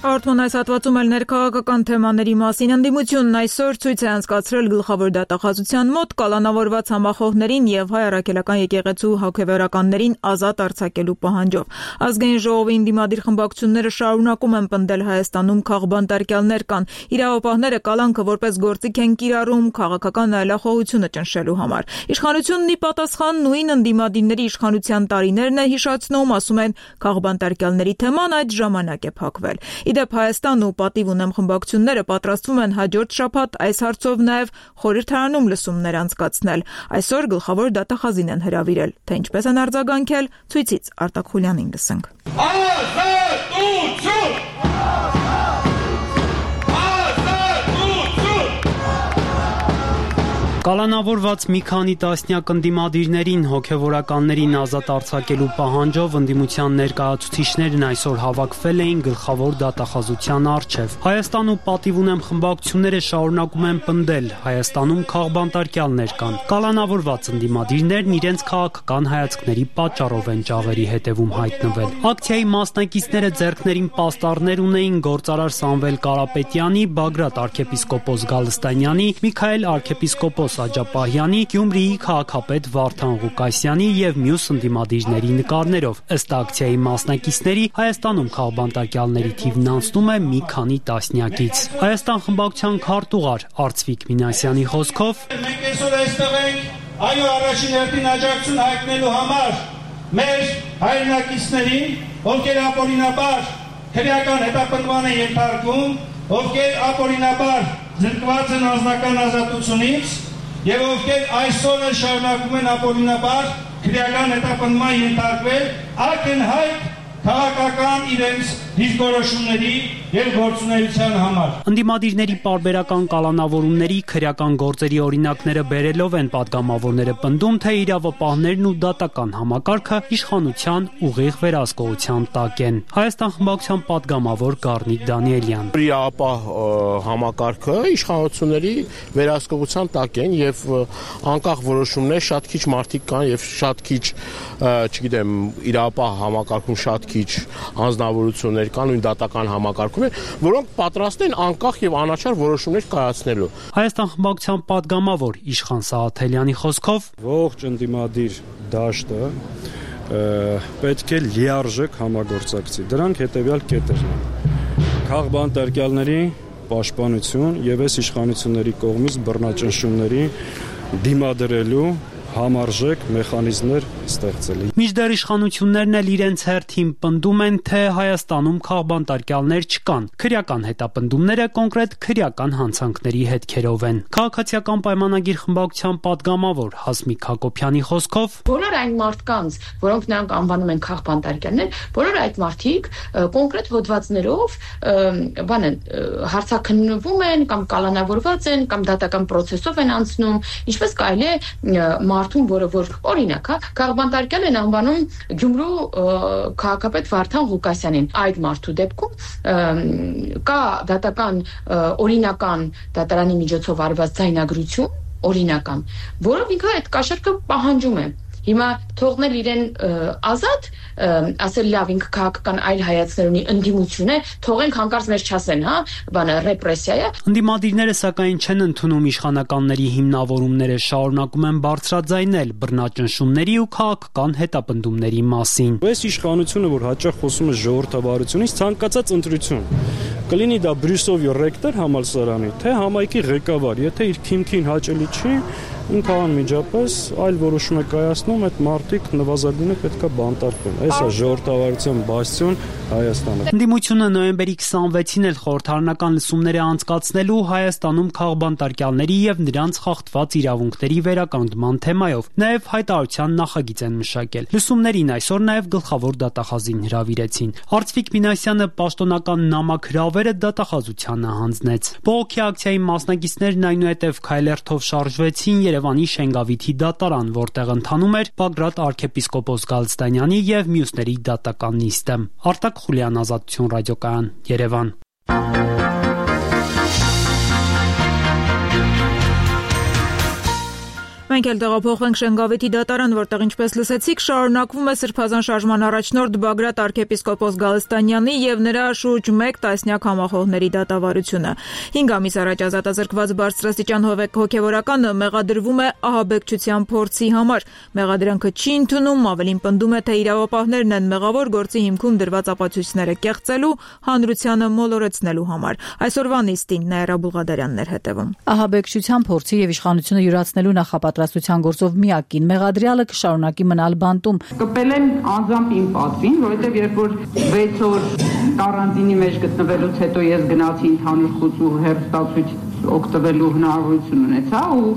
Հաղորդման այս հատվածում էլ ներքաղաքական թեմաների մասին ընդդիմությունն այսօր ցույց է անցկացրել գլխավոր դատախազության մոտ կալանավորված համախոհներին եւ հայ առաքելական եկեղեցու հոգեվերականներին ազատ արձակելու պահանջով։ Ազգային ժողովի ընդդիմադիր խմբակցությունները շարունակում են պնդել Հայաստանում քաղբանտարկյալներ կան։ Իրավապահները կալանքը որպես գործիք են կիրառում քաղաքական այլախոհությունը ճնշելու համար։ Իշխանությունն ի պատասխան նույն ընդդիմադիրների իշխանության տարիներն է հիշացնում, ասում են քաղբանտարկյալների թեման այդ ժամանակ է փակվել։ Իդեպ Հայաստան ու պատիվ ունեմ խմբակցությունները պատրաստվում են հաջորդ շաբաթ այս հարցով նաև խորհրդարանում լսումներ անցկացնել։ Այսօր գլխավոր դատախազին են հրավիրել, թե ինչպես են արձագանքել, ցույցից Արտակ Խուլյանին լսենք։ Կալանավորված մի քանի տասնյակ ընդդիմադիրներին հոգևորականներին ազատ արձակելու պահանջով ընդդիմության ներկայացուցիչներն այսօր հավաքվել էին գլխավոր դատախազության առջև։ Հայաստան ու պատիվ ունեմ խմբակցությունները շարունակում են պնդել Հայաստանում քաղբանտարկյալներ կան։ Կալանավորված ընդդիմադիրներն իրենց քաղաքական հայացքների պատճառով են ճաղերի հետևում հայտնվել։ Ակցիայի մասնակիցները ձեռքներին պաստառներ ունեին գործարար Սամվել Կարապետյանի, Բագրատ arczepiskopos Գալստանյանի, Միքայել arczepiskopos Աջապահյանի, Գյումրիի քաղաքապետ Վարդան Ղուկասյանի եւ մյուս ընդդիմադիրների նկարներով։ Ըստ ակցիայի մասնակիցների Հայաստանում քաղբանտարկյալների թիվն անցնում է մի քանի տասնյակից։ Հայաստան խմբակցության քարտուղար Արծվիկ Մինասյանի խոսքով մենք այսօր այստեղ ենք այո առաջին հերթին աջակցություն հայտնելու համար մեր հայրենակիցներին, ովքեր ապօրինաբար քրեական հետապնդման են ենթարկվում, ովքեր ապօրինաբար զրկված են անձնական ազատությունից եւ ովքեր այսօր էլ շարունակում են ապօրինաբար քրեական հետապնդման ենթարկվել, ակնհայտ քաղաքական իրենց դիրքորոշումների եւ գործունեության համար։ Ընդդիմադիրների պարբերական կալանավորումների քրեական գործերի օրինակները բերելով են падգամավորները պնդում, թե իրավապահներն ու դատական համակարգը իշխանության ուղիղ վերահսկողության տակ են։ Հայաստան խմբակցության падգամավոր Գառնիկ Դանիելյան։ Իրավապահ համակարգը իշխանությունների վերահսկողության տակ են եւ անկախ որոշումներ շատ քիչ մարդիկ կան եւ շատ քիչ, չգիտեմ, իրավապահ համակարգում շատ քիչ անձնավորություններ կան, նույն դատական համակարգում որոնք պատրաստ են անկախ եւ անաչառ որոշումներ կայացնելու։ Հայաստան խմբակցության падգամավոր Իշխան Սաղաթելյանի խոսքով ողջ ընդդիմադիր դաշտը պետք է լիարժեք համագործակցի։ Դրանք հետեւյալ կետերն են. քաղբանտարկյալների պաշտպանություն եւ այս իշխանությունների կողմից բռնաճնշումների դիմադրելու համարժեք մեխանիզմներ ստեղծելի։ Մինչդեռ իշխանություններն էլ իրենց հերթին պնդում են, թե Հայաստանում քաղբանտարկյալներ չկան։ Քրեական հետապնդումները կոնկրետ քրեական հանցանքների հետքերով են։ Քաղաքացիական պայմանագիր խմբակցության падգամավոր Հասմիկ Հակոբյանի խոսքով բոլոր այն մարդկանց, որոնք նրանք անվանում են քաղբանտարկյալներ, բոլոր այդ մարդիկ կոնկրետ հոդվածներով հարցաքննվում են կամ կալանավորված են կամ դատական process-ով են անցնում, ինչպես կարելի է մարդուն, որը որ օրինակ, քաղբանտարկյալ են անվանում Գյումրու քաղաքապետ Վարդան Ղուկասյանին։ Այդ մարդու դեպքում կա դատական օրինական դատարանի միջոցով արված ձայնագրություն, օրինական, որով ինքը այդ կաշառքը պահանջում է։ Հիմա թողնել իրեն ազատ, ասել լավ ինքը քաղաքական այլ հայացքներ ունի, ընդդիմություն է, թողենք հանկարծ մեր չասեն, ռեպրեսիա է։ Ընդդիմադիրները սակայն չեն ընդունում իշխանականների հիմնավորումները, շարունակում են բարձրաձայնել բռնաճնշումների ու քաղաքական հետապնդումների մասին։ Այս իշխանությունը, որ հաճախ խոսում է ժողովրդավարությունից, ցանկացած ընտրություն կլինի դա Բրյուսովի ռեկտոր համալսարանի, թե համայնքի ղեկավար, եթե իր քիմքին հաճելի չի, ինքը անմիջապես այլ որոշում է կայացնում, այդ մարդիկ նվազագույնը պետքա բանտարկվեն։ Այս է ժողովրդավարության բաստիոն Հայաստանը։ Ընդդիմությունը նոյեմբերի 26-ին էլ խորհրդարանական լսումներ է անցկացնելու Հայաստանում քաղբանտարկյալների եւ նրանց խախտված իրավունքների վերականգնման թեմայով։ Նաեւ հայտարարության նախագիծ են մշակել։ Լսումներին այսօր նաեւ գլխավոր դատախազին հրավիրեցին։ Արծվիկ Մինասյանը պաշտոնական նամակ հրավերը դատախազությանը հանձնեց։ Բողոքի ակցիայի մասնակիցներն այնուհետև քայլերթով շարժվեցին Երևանի Շենգավիթի դատարան, որտեղ ընթանում էր Բագրատ arczepiskopos Գալստանյանի եւ մյուսների դատական նիստը։ Արտակ Խուլյան, Ազատություն ռադիոկայան, Երևան։ Մենք էլ տեղափոխվենք Շենգավիթի դատարան, որտեղ ինչպես լսեցիք, շարունակվում է Սրբազան շարժման առաջնորդ Բագրատ arczepiskopos Գալստանյանի եւ նրա շուրջ 1 տասնյակ համախոհների դատավարությունը։ 5 ամիս առաջ ազատազրկված բարձրաստիճան հոգեվորականը մեղադրվում է ահաբեկչության փորձի համար։ Մեղադրանքը չի ընդունում, ավելին պնդում է, թե իրավապահներն են մեղավոր գործի հիմքում դրված ապացույցները կեղծելու, հանրությանը մոլորեցնելու համար։ Այսօրվա նիստին Նաիրա Բուլղադարյանն էր հետևում։ Ահաբեկչության փորձի եւ իշխանությունը յուրացնելու նախապատրաստության գործով միակին մեղադրյալը կշարունակի մնալ բանտում։ Կպել են անձամբ իմ պատվին, որովհետեւ երբ որ 6 օր կարանտինի մեջ գտնվելուց հետո ես գնացի ընդհանուր խուծ ու հեռուստացույց օգտվելու հնարավորություն ունեցա ու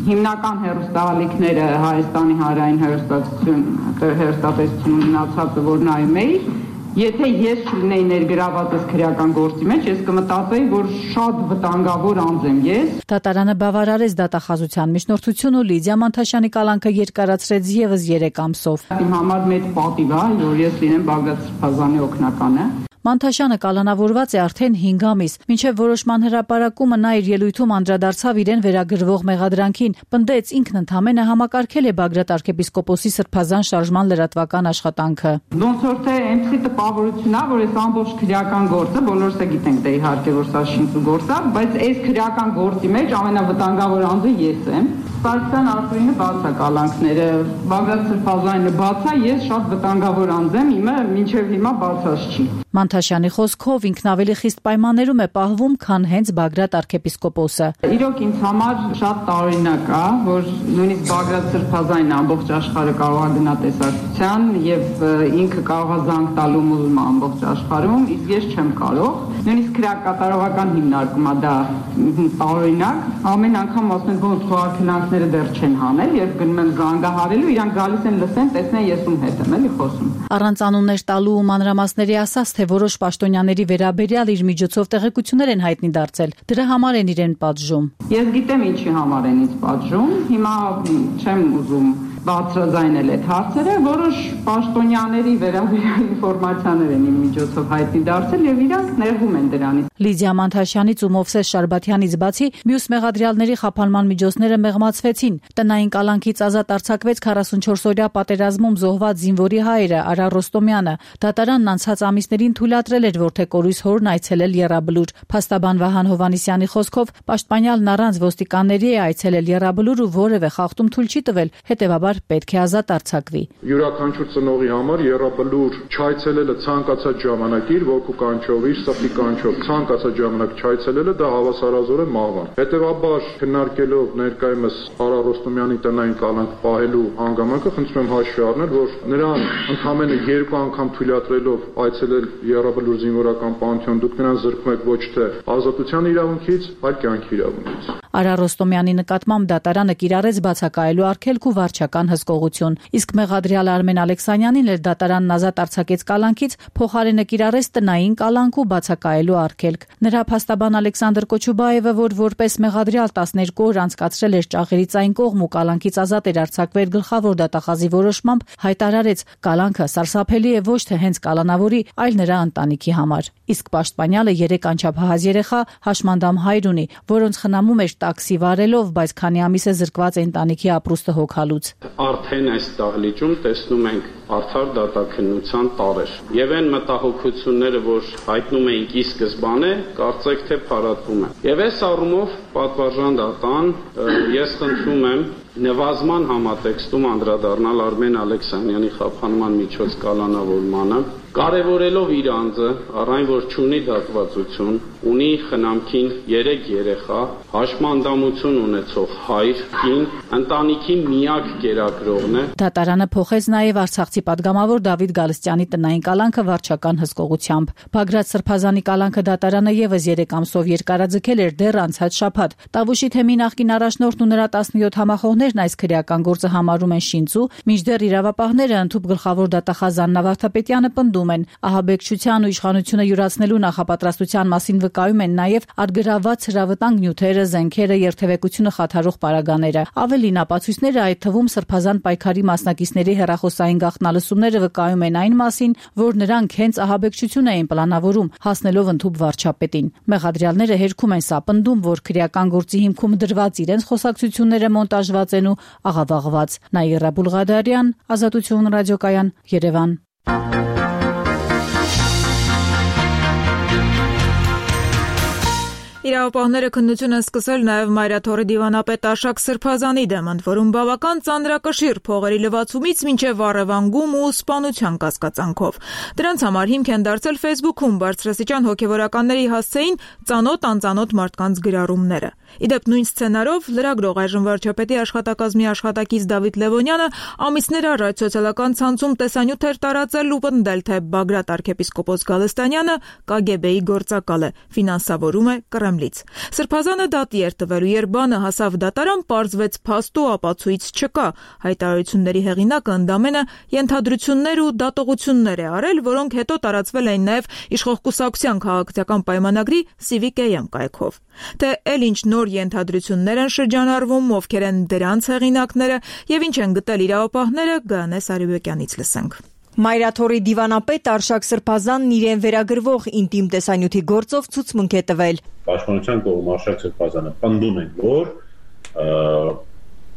հիմնական հեռուստաալիքները Հայաստանի հանրային հեռուստատեսություն ունեցածը որ նայում էի, եթե ես չլինեի ներգրավված քրեական գործի մեջ, ես կմտածեի, որ շատ վտանգավոր անձ եմ ես։ Դատարանը բավարարեց դատախազության միջնորդությունը ու Լիդիա Մանթաշյանի կալանքը երկարացրեց եւս 3 ամսով։ Իմ համար մեծ պատիվ է, որ ես լինեմ Բագրատ Սրբազանի օգնականը։ Մանթաշյանը կալանավորված է արդեն 5 ամիս, մինչև որոշման հրապարակումը նա իր ելույթում անդրադարձավ իրեն վերագրվող մեղադրանքին, պնդեց ինքն ընդամենը համակարգել է Բագրատ arczepiskoposi Սրբազան շարժման լրատվական աշխատանքը։ Ոնց որ թե այնպիսի տպավորություն է, որ այս ամբողջ քրեական գործը, բոլորս է գիտենք դե իհարկե որ սա շինծու գործ է, բայց այս քրեական գործի մեջ ամենավտանգավոր անձը ես եմ։ Սարգսյան Արթուրինը բաց է կալանքները, Բագրատ Սրբազանը բաց է, ես շատ վտանգավոր անձ եմ, իմը մինչև հիմա բացած չի։ Մանթաշյանի խոսքով ինքն ավելի խիստ պայմաններում է պահվում, քան հենց Բագրատ arczepiskopos-ը։ Իրոք ինձ համար շատ տարօրինակ է, որ նույնիսկ Բագրատ Սրբազանն ամբողջ աշխարհը կարող է գնա տեսակցության եւ ինքը կարող է զանգ տալ ումում ամբողջ աշխարհում, իսկ ես չեմ կարող։ Նույնիսկ քրեակատարողական հիմնարկում է դա տարօրինակ։ Ամեն անգամ ասում են, որ խոհարքնանքները դեռ չեն հանել, երբ գնում են զանգահարելու, իրանք գալիս են լսեն, տեսնեն ես ում հետ եմ էլի խոսում։ Առանց անուններ տալու ու մանրամասների ասած, թե որոշ պաշտոնյաների վերաբերյալ իր միջոցով տեղեկություններ են հայտնի դարձել։ Դրա համար են իրեն պատժում։ Ես գիտեմ ինչի համար են ինձ պատժում։ Հիմա չեմ ուզում բարձրաձայնել այդ հարցերը, որոշ պաշտոնյաների վերաբերյալ ինֆորմացիաներ են իմ միջոցով հայտնի դարձել եւ իրանք ներվում են դրանից։ Լիդիա Մանթաշյանից ու Մովսես Շարբաթյանից բացի մյուս մեղադրյալների խափանման միջոցները մեղմացվեցին։ Տնային կալանքից ազատ արձակվեց 44-օրյա պատերազմում զոհված զինվորի հայրը Արա Ռոստոմյանը։ Դատարանն անցած ամիսներին թույլատրել էր որդեկորույս հորն այցելել Եռաբլուր։ Փաստաբան Վահան Հովանիսյանի խոսքով պաշտպանյալն առանց ոստիկանների է այցելել Եռաբլուր ու որևէ խախտում թույլ չի տվել, հետևաբար պետք է ազատ արձակվի։ Յուրաքանչյուր ծնողի համար Եռաբլուր չայցելելը ցանկացած ժամանակ իր ոգու կանչով, իր սրտի կանչով ցանկացած ժամանակ չայցելելը դա հավասարազոր է մահվան։ Հետևաբար քննարկելով ներկայումս Արա Ռոստոմյանի տնային կալանք պահելու հանգամանքը խնդրում եմ հաշվի առնել, որ նրան ընդամենը 2 անգամ թույլատրելով այցելել Եռաբլուր զինվորական պանթեոն դուք նրան զրկում եք ոչ թե ազատության իրավունքից, այլ կյանքի իրավունքից։ Արա Ռոստոմյանի նկատմամբ դատարանը կիրառեց բացակայելու արգելք ու վարչական հսկողություն, իսկ մեղադրյալ Արմեն Ալեքսանյանին էլ դատարանն ազատ արձակեց կալանքից, փոխարենը կիրառեց տնային կալանք ու բացակայելու արգելք։ Նրա փաստաբան Ալեքսանդր Կոչուբաևը, որ որպես մեղադրյալ 12 օր անցկացրել էր ճաղերից այն կողմ ու կալանքից ազատ էր արձակվել գլխավոր դատախազի որոշմամբ, հայտարարեց, կալանքը սարսափելի է ոչ թե հենց կալանավորի, այլ նրա ընտանիքի համար։ Իսկ պաշտպանյալը 3 անչափահաս երեխա հաշմանդամ հայր ունի, որոնց խնամում էր տաքսի վարելով, բայց քանի ամիս է զրկված ընտանիքի ապրուստը հոգալուց։ Արդեն այս դահլիճում տեսնում ենք արդար դատաքննության տարեր։ Եվ այն մտահոգությունները, որ հայտնում էինք ի սկզբանե, կարծեք թե փարատվում են։ Եվ այս առումով պատվարժան դատան ես խնդրում եմ նվազման համատեքստում անդրադառնալ Արմեն Ալեքսանյանի խափանման միջոց կալանավորմանը, կարևորելով իր անձը, առայն որ չունի դատվածություն, ունի խնամքին 3 երեխա, հաշմանդամություն ունեցող հայր, կին, ընտանիքի միակ կերակրողն է։ Դատարանը փոխեց նաև Արցախցի падգամավոր Դավիթ Գալստյանի տնային կալանքը վարչական հսկողությամբ։ Բագրատ Սրբազանի կալանքը դատարանը եւս 3 ամսով երկարաձգել էր դեռ անցած շաբաթ։ Տավուշի թեմի նախկին առաջնորդն ու նրա 17 համախոհներն այս քրեական գործը համարում են շինծու, մինչդեռ իրավապահները ընդհուպ գլխավոր դատախազ Աննա Վարդապետյանը պնդում մտնում են։ Ահաբեկչության ու իշխանությունը յուրացնելու նախապատրաստության մասին վկայում են նաև արգրաված հրավտանգ նյութերը, զենքերը, երթևեկությունը խաթարող պարագաները։ Ավելին, ապացույցները, այդ թվում սրբազան պայքարի մասնակիցների հեռախոսային գաղտնալսումները վկայում են այն մասին, որ նրանք հենց ահաբեկչություն էին պլանավորում, հասնելով ընդհուպ վարչապետին։ Մեղադրյալները հերքում են սապնդում, որ քրեական գործի հիմքում դրված իրենց խոսակցությունները մոնտաժված են ու աղավաղված։ Նաիրա Բուլղադարյան, Ազատություն ռադիոկայան, Երևան։ Իրավապահները քննություն են սկսել նաև Մայրաթորի դիվանապետ Արշակ Սրբազանի դեմ, ընդ որում բավական ծանրակշիռ փողերի լվացումից մինչև առևանգում ու սպանության կասկածանքով։ Դրանց համար հիմք են դարձել Facebook-ում բարձրաստիճան հոգևորականների հասցեին ծանոթ-անծանոթ մարդկանց գրառումները։ Իդեպ նույն սցենարով լրագրող այժմ վարչապետի աշխատակազմի աշխատակից Դավիթ Լևոնյանը ամիսներ առաջ սոցիալական ցանցում տեսանյութ էր տարածել ու պնդել, թե Բագրատ arczepiskopos Գալստանյանը KGB-ի գործակալ է, ֆինանսավորում է Կրեմլից։ Սրբազանը դատի էր տվելու, երբ բանը հասավ դատարան, պարզվեց փաստ ու ապացույց չկա։ Հայտարարությունների հեղինակը ընդամենը ենթադրություններ ու դատողություններ է արել, որոնք հետո տարածվել էին նաև իշխող կուսակցության քաղաքացիական պայմանագրի Civic AM կայքով։ Թե էլ ինչ նոր ենթադրություններ են շրջանառվում, ովքեր են դրանց հեղինակները եւ ինչ են գտել իրավապահները, Գայանե Սարիբեկյանից լսենք։ Մայրաթորի դիվանապետ Արշակ Սրբազանն իրեն վերագրվող ինտիմ տեսանյութի գործով ցուցմունք է տվել։ Պաշտպանության կողմ Արշակ Սրբազանը պնդում են, որ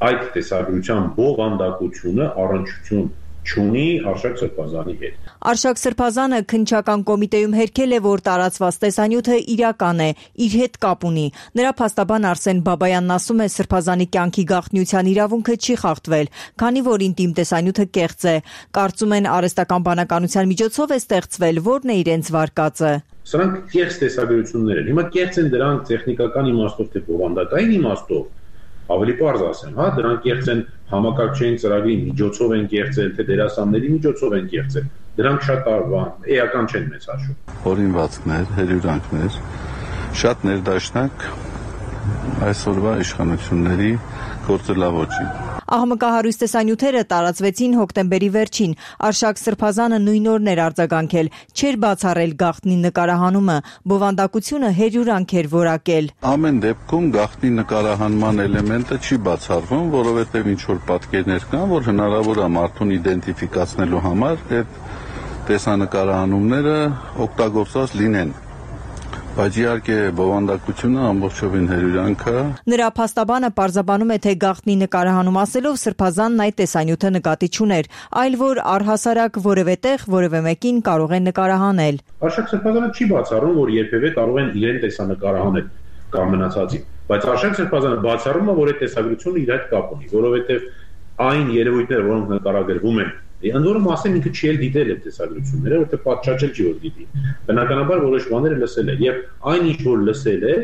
այդ տեսագրության բովանդակությունը առնչություն չունի Արշակ Սրբազանի հետ։ Արշակ Սրբազանը քննչական կոմիտեում հերքել է, որ տարածված տեսանյութը իրական է, իր հետ կապ ունի։ Նրա փաստաբան Արսեն Բաբայանն ասում է, Սրբազանի կյանքի գաղտնիության իրավունքը չի խախտվել, քանի որ ինտիմ տեսանյութը կեղծ է։ Կարծում են արհեստական բանականության միջոցով է ստեղծվել, որն է իրենց վարկածը։ Սրանք կեղծ տեսագրություններ են։ Հիմա կեղծ են դրանք տեխնիկական իմաստով թե բովանդակային իմաստով։ Ավելի պարզ ասեմ, հա, դրանք կեղծ են համակարգչային ծրագրի միջոցով են կեղծել, թե դերասանների միջոցով են կեղծել։ Դրանք շատ էական չեն մեծ հաշվով։ Օրինվածքներ, հերյուրանքներ, շատ ներդաշնակ այսօրվա իշխանությունների գործելավոճի։ Ահմկահարույց տեսանյութերը տարածվեցին հոկտեմբերի վերջին։ Արշակ Սրբազանը նույն օրն էր արձագանքել, չէր բացառել գաղտնի նկարահանումը, բովանդակությունը հերյուրանք էր որակել։ Ամեն դեպքում գաղտնի նկարահանման էլեմենտը չի բացառվում, որովհետև ինչ որ պատկերներ կան, որ հնարավոր է մարդուն իդենտիֆիկացնելու համար այդ տեսանկարահանումները օգտագործված լինեն։ Բայց իհարկե բովանդակությունը ամբողջովին հերյուրանք է։ Նրա փաստաբանը պարզաբանում է, թե գաղտնի նկարահանում ասելով Սրբազանն այդ տեսանյութը նկատի չուներ, այլ որ առհասարակ որևէ տեղ որևէ մեկին կարող է նկարահանել։ Արշակ Սրբազանը չի բացառում, որ երբևէ կարող են իրեն տեսանկարահանել կամ մնացածին, բայց Արշակ Սրբազանը բացառում է, որ այդ տեսագրությունը իր հետ կապ ունի, որովհետև այն երևույթները, որոնք նկարագրվում են, ընդ որում ասեմ ինքը չի էլ դիտել այդ տեսագրությունները, որտեղ պատշաճել չի որ դիտի։ Բնականաբար որոշ բաները լսել է, եւ այն ինչ որ լսել է,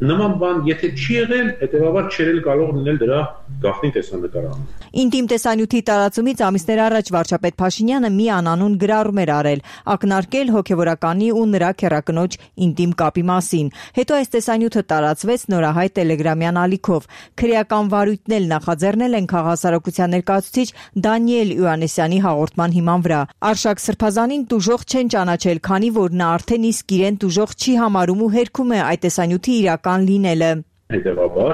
նման բան եթե չի եղել, հետեւաբար չէր կարող լինել դրա գաղտնի տեսանկարահանում։ Ինտիմ տեսանյութի տարածումից ամիսներ առաջ վարչապետ Փաշինյանը մի անանուն գրառում էր արել, ակնարկել հոգևորականի ու նրա քեռակնոջ ինտիմ կապի մասին։ Հետո այս տեսանյութը տարածվեց նորահայտ տելեգրամյան ալիքով։ Քրեական վարույթն էլ նախաձեռնել են քաղաքասարակության ներկայացուցիչ Դանիել Իոաննիսյանի հաղորդման հիման վրա։ Արշակ Սրբազանին տուժող չեն ճանաչել, քանի որ նա արդեն իսկ իրեն տուժող չի համարում ու հերքում է այդ տեսանյութի իրական լինելը։ Հետևաբար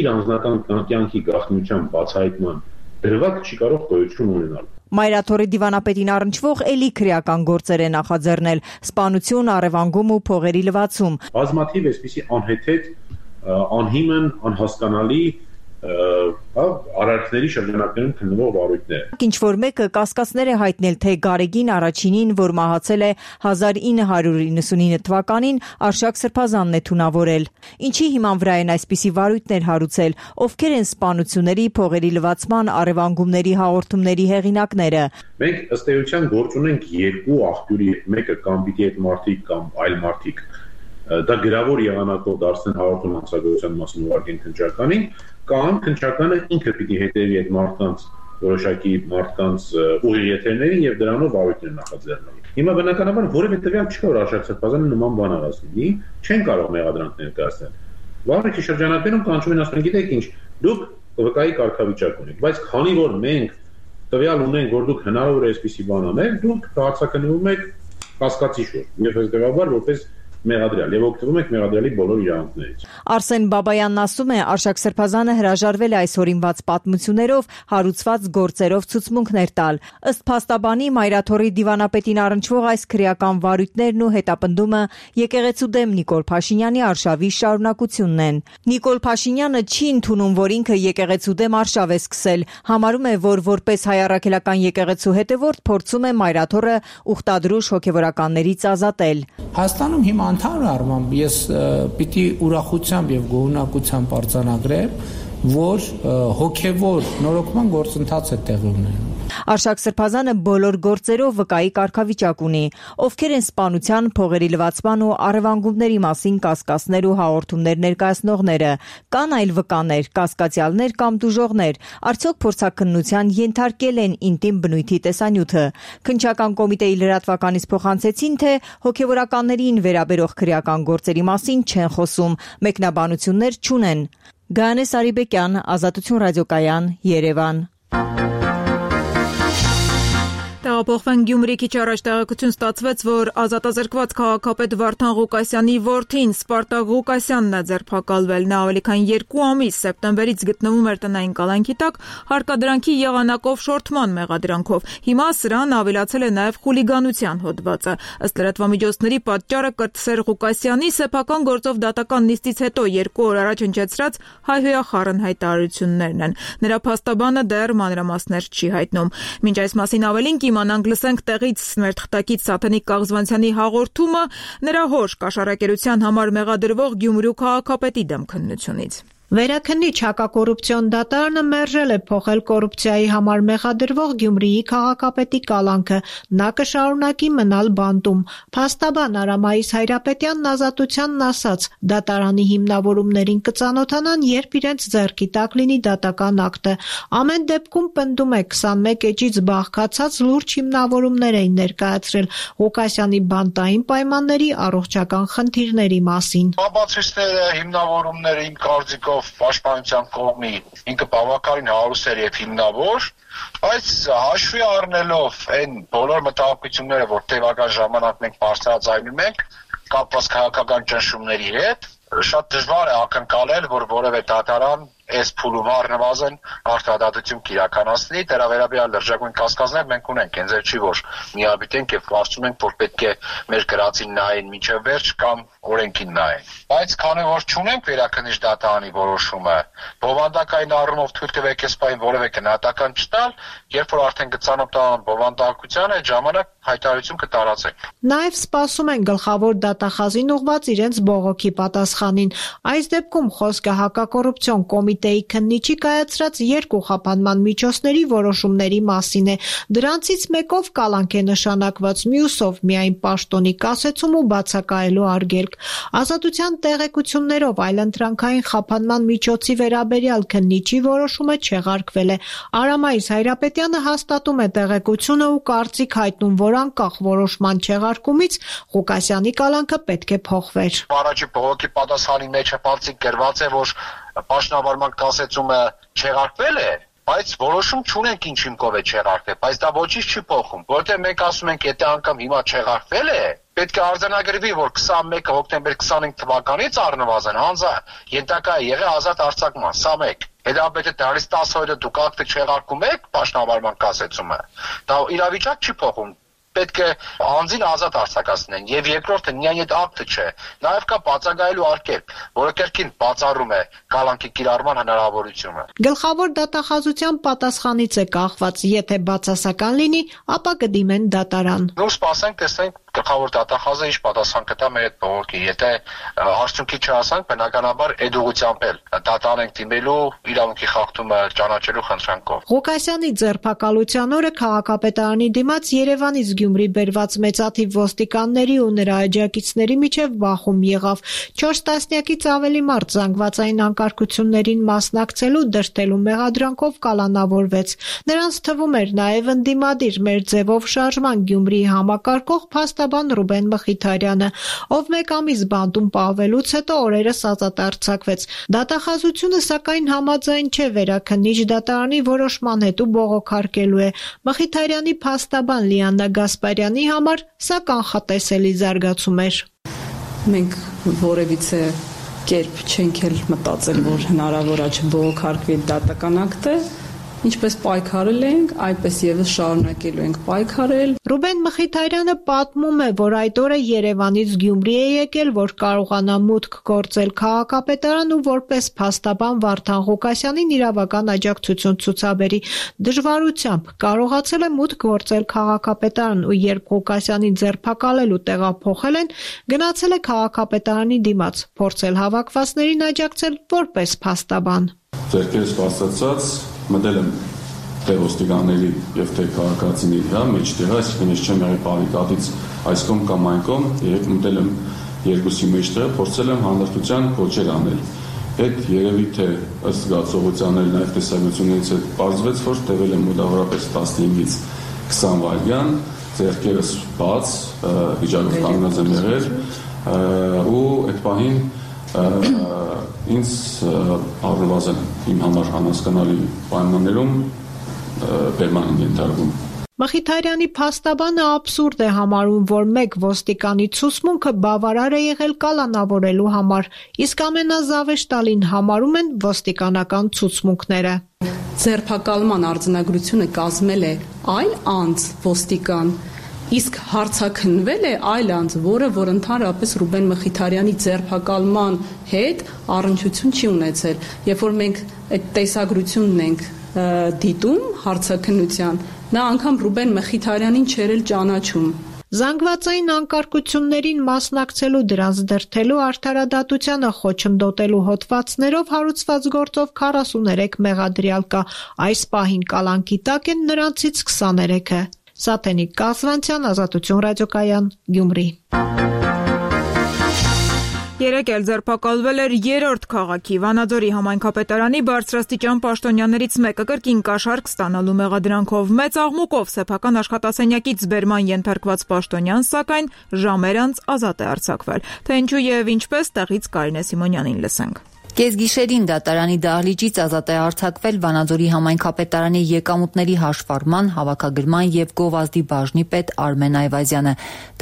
իր անձնական կյանքի գաղտնիության բացահայտման դրվագ չի կարող գոյություն ունենալ։ Մայրաթորի դիվանապետին առնչվող էլի քրեական գործեր է նախաձեռնել՝ սպանություն, առևանգում ու փողերի լվացում։ Բազմաթիվ այսպիսի անհեթեթ, անհիմն, անհասկանալի արարքների շրջանակներում քննվող վարույթներ։ Ինչ որ մեկը կասկածներ է հայտնել, թե Գարեգին առաջինին, որ մահացել է 1999 թվականին, Արշակ Սրբազանն է թունավորել։ Ինչի հիման վրա են այսպիսի վարույթներ հարուցել, ովքեր են սպանությունների, փողերի լվացման, առևանգումների հաղորդումների հեղինակները։ Մենք ըստ էության գործ ունենք երկու աղբյուրի, մեկը կամ պիտի այդ մարդիկ կամ այլ մարդիկ դա գրավոր եղանակով դարձնեն հաղորդում հանցագործության մասին ուղարկեն քննչականին, կամ քննչականը ինքը պիտի հետևի այդ մարդկանց որոշակի մարդկանց ուղիղ եթերներին եւ դրանով վարույթներ նախաձեռնել։ Հիմա բնականաբար որևէ տվյալ չկա, որ Արշակ Սրբազանը նման բան արածնի, չեն կարող մեղադրանք ներկայացնել։ Վարույթի շրջանակներում կանչում են ասում, գիտեք ինչ, դուք վկայի կարգավիճակ ունեք, բայց քանի որ մենք տվյալ ունենք, որ դուք հնարավոր է այսպիսի բան անեք, դուք հարցակնվում եք կասկածի շուրջ, եւ հետեւաբար որպես մեղադրյալ եւ օգտվում եք մեղադրյալի բոլոր իրավունքներից։ Արսեն Բաբայանն ասում է, Արշակ Սրբազանը հրաժարվել է այս օրինված պատմություններով, հարուցված գործերով ցուցմունքներ տալ։ Ըստ փաստաբանի Մայրաթորի դիվանապետին առնչվող այս քրեական վարույթներն ու հետապնդումը եկեղեցու դեմ Նիկոլ Փաշինյանի արշավի շարունակությունն են։ Նիկոլ Փաշինյանը չի ընդունում, որ ինքը եկեղեցու դեմ արշավ է սկսել, համարում է, որ որպես հայ առաքելական եկեղեցու հետևորդ փորձում է Մայրաթորը ուխտադրուժ հոգևորականներից ազատել։ Հայաստանում հիմա ընդհանուր առմամբ ես պիտի ուրախությամբ եւ գոհունակությամբ արձանագրեմ, որ հոգևոր նորոգման գործընթաց է տեղի ունենում։ Արշակ Սրբազանը բոլոր գործերով վկայի կարգավիճակ ունի, ովքեր են սպանության, փողերի լվացման ու առևանգումների մասին կասկածներ ու հաղորդումներ ներկայացնողները, կան այլ վկաներ, կասկածյալներ կամ դուժողներ, արդյոք փորձաքննության ենթարկել են ինտիմ բնույթի տեսանյութը։ Քննչական կոմիտեի լրատվականից փոխանցեցին, թե հոգևորականներին վերաբերող քրեական գործերի մասին չեն խոսում, մեկնաբանություններ չունեն։ Գայանե Սարիբեկյան, Ազատություն ռադիոկայան, Երևան։ Տեղափոխվենք Գյումրի, քիչ առաջ տեղեկություն ստացվեց, որ ազատազրկված քաղաքապետ Վարդան Ղուկասյանի որդին Սպարտակ Ղուկասյանն է ձերբակալվել։ Նա ավելի քան 2 ամիս սեպտեմբերից գտնվում էր տնային կալանքի տակ հարկադրանքի եղանակով շորթման մեղադրանքով։ Հիմա սրան ավելացել է նաև խուլիգանության հոդվածը։ Ըստ լրատվամիջոցների պատճառը կրտսեր Ղուկասյանի սեփական գործով դատական նիստից հետո 2 օր առաջ հնչեցրած հայհոյախառն հայտարարություններն են։ Նրա փաստաբանը դեռ մանրամասներ չի հայտնում։ Մինչ այս մասին ավելին իմանանք լսենք տեղից մեր թղթակից Սաթենիկ Կաղզվանցյանի հաղորդումը նրա հոր կաշառակերության համար մեղադրվող Գյումրու քաղաքապետի դեմ քննությունից։ Վերաքննիչ հակակոռուպցիոն դատարանը մերժել է փոխել կոռուպցիայի համար մեղադրվող Գյումրիի քաղաքապետի կալանքը, նա կշարունակի մնալ բանտում։ Փաստաբան Արամայիս Հայրապետյանն Ազատությանն ասաց, դատարանի հիմնավորումներին կծանոթանան, երբ իրենց ձեռքի տակ լինի դատական ակտը։ Ամեն դեպքում պնդում է 21 էջից բաղկացած լուրջ հիմնավորումներ էին ներկայացրել Ղուկասյանի բանտային պայմանների առողջական խնդիրների մասին։ Բացիստերը հիմնավորումները իմ կարծիքով պաշտպանության կողմի ինքը բավականին հարուստ էր եւ հիմնավոր, բայց հաշվի առնելով այն բոլոր մտահոգությունները, որ տևական ժամանակ մենք բարձրաձայնում ենք կապված քաղաքական ճնշումների հետ, շատ դժվար է ակնկալել, որ որևէ դատարան այս փուլում առնվազն արտադատություն կիրականացնի, դրա վերաբերյալ լրջագույն կասկածներ մենք ունենք, հենց այդ չի, որ միաբիտենք եւ կարծում ենք, որ պետք է մեր գրածին նայեն մինչեւ վերջ կամ օրենքին նայեն։ Բայց քանի որ չունենք վերաքննիչ դատարանի որոշումը, բովանդակային առումով թույլ տվեք այս պահին որևէ գնահատական չտալ, երբ որ արդեն գծանոթան բովանդակության այդ ժամանակ հայտարարություն կտարածենք։ Նաեւ սպասում են գլխավոր դատախազին ուղված իրենց բողոքի պատասխանին։ Այս դեպքում խոսքը հակակոռուպցիոն կոմիտեի քննիչի կայացրած 2 խափանման միջոցների որոշումների մասին է։ Դրանցից մեկով կալանք է նշանակված, մյուսով միայն պաշտոնի կասեցում ու բացակայելու արգելք։ Ազատության տեղեկություններով այլընտրանքային խափանման միջոցի վերաբերյալ քննիչի որոշումը չեղարկվել է։ Արամայիս Հայրապետյանը հաստատում է տեղեկությունը ու կարծիք հայտնում, որ անկախ որոշման չեղարկումից Ղուկասյանի կալանքը պետք է փոխվեր։ Առաջի բողոքի պատասխանի մեջ բացիկ գրված է, որ պաշտոնավարման կասեցումը չեղարկվել է, բայց որոշում չունենք ինչ հիմքով է չեղարկվել, բայց դա ոչինչ չի փոխում, որովհետև մենք ասում ենք, եթե անգամ հիմա չեղարկվել է, պետք է արձանագրվի, որ 21 հոկտեմբեր 25 թվականից առնվազն հանձը ենթակա է եղել ազատ արձակման, սա մեկ։ Հետաբերդե դարից 10 օրը դուք ակտը չեղարկում եք պաշտոնավարման կասեցումը, դա իրավիճակ չի փոխում։ Պետք է անձին ազատ արձակացնեն եւ երկրորդը միայն այդ ակտը չէ, նաեւ կա բացակայելու արգելք, որը կերկին բացառում է կալանքի կիրառման հնարավորությունը։ Գլխավոր դատախազության պատասխանից է կախված, եթե բացասական լինի, ապա կդիմեն դատարան։ Նոր սպասենք, տեսնենք գլխավոր դատախազը ինչ պատասխան կտա մեր այդ բողոքի, եթե արդյունքի չհասանք, բնականաբար այդ ուղղությամբ էլ դատարան ենք դիմելու իրավունքի խախտումը ճանաչելու խնդրանքով։ Ղուկասյանի ձերբակալության օրը քաղաքապետարանի դիմաց Երևանից Գյումրի բերված մեծաթիվ ոստիկանների ու նրա աջակիցների միջև բախում եղավ։ 4 տասնյակից ավելի մարդ զանգվածային անկարգություններին մասնակցելու դրդելու մեղադրանքով կալանավորվեց։ Նրանց թվում էր նաև ընդդիմադիր մեր ձևով շարժման Գյումրիի համակարգող փաստաբան Ռուբեն Մխիթարյանը, ով 1 ամիս բանտում պահվելուց հետո օրերս ազատ արձակվեց։ Դատախազությունը սակայն համաձայն չէ վերաքննիչ դատարանի որոշման հետ ու բողոքարկելու է։ Մխիթարյանի փաստաբան Լիաննա Գասպարյանի համար սա կանխատեսելի զարգացում էր։ Մենք որևիցե կերպ չենք էլ մտածել, որ հնարավոր է չբողոքարկվի դատական ակտը, ինչպես պայքարել ենք, այդպես եւս շարունակելու ենք պայքարել։ Ռուբեն Մխիթարյանը պատմում է, որ այդ օրը Երևանից Գյումրի է եկել, որ կարողանա մուտք գործել քաղաքապետարան ու որպես փաստաբան Վարդան Ղուկասյանին իրավական աջակցություն ցուցաբերի։ Դժվարությամբ կարողացել է մուտք գործել քաղաքապետարան ու երբ Ղուկասյանին ձերբակալելու տեղափոխել են, գնացել է քաղաքապետարանի դիմաց, փորձել հավաքվածներին աջակցել որպես փաստաբան։ Ձերքերս բացացած մտել եմ թե ոստիկանների եւ թե քաղաքացիների վրա մեջտեղը, այսինքն ես չեմ եղել բարիկադից այս կողմ կամ այն կողմ, երբ մտել եմ երկուսի մեջտեղը, փորձել եմ հանդարտության կոչեր անել։ Այդ երևի թե ըստ զգացողության նաեւ տեսակցություններից հետ բարձվեց, որ տևել եմ մոտավորապես 15-ից 20 վայրկյան, ձերքերս բաց, վիճակով կանգնած եմ եղել ու այդ պահին ինձ առնվազն իմ համար անհասկանալի պայմաններում բերման են ենթարկվում։ Մխիթարյանի փաստաբանը աբսուրդ է համարում, որ մեկ ոստիկանի ցուցմունքը բավարար է եղել կալանավորելու համար, իսկ ամենազավեշտալին համարում են ոստիկանական ցուցմունքները։ Ձերբակալման արձանագրությունը կազմել է այլ անձ ոստիկան, իսկ հարցաքննվել է այլ անձ, որ ընդհանրապես Ռուբեն Մխիթարյանի ձերբակալման հետ առնչություն չի ունեցել։ Երբ որ մենք այդ տեսագրությունն ենք դիտում հարցաքննության, նա անգամ Ռուբեն Մխիթարյանին չէր էլ ճանաչում։ Զանգվածային անկարգություններին մասնակցելու, դրանց դրդելու, արդարադատությանը խոչընդոտելու հոդվածներով հարուցված գործով 43 մեղադրյալ կա, այս պահին կալանքի տակ են նրանցից 23-ը։ Սաթենիկ Կասվանցյան, Ազատություն ռադիոկայան, Գյումրի։ Երեկ էլ ձերբակալվել էր 3-րդ քաղաքի Վանաձորի համայնքապետարանի բարձրաստիճան պաշտոնյաներից մեկը կրկին կաշառք ստանալու մեղադրանքով մեծ աղմուկով սեփական աշխատասենյակից բերման ենթարկված պաշտոնյան, սակայն ժամեր անց ազատ է արձակվել։ Թե ինչու եւ ինչպես, տեղից Կարինե Սիմոնյանին լսենք։ Կեսգիշերին դատարանի դահլիճից ազատ է արձակվել Վանաձորի համայնքապետարանի եկամուտների հաշվառման, հավաքագրման եւ գովազդի բաժնի պետ Արմեն Այվազյանը։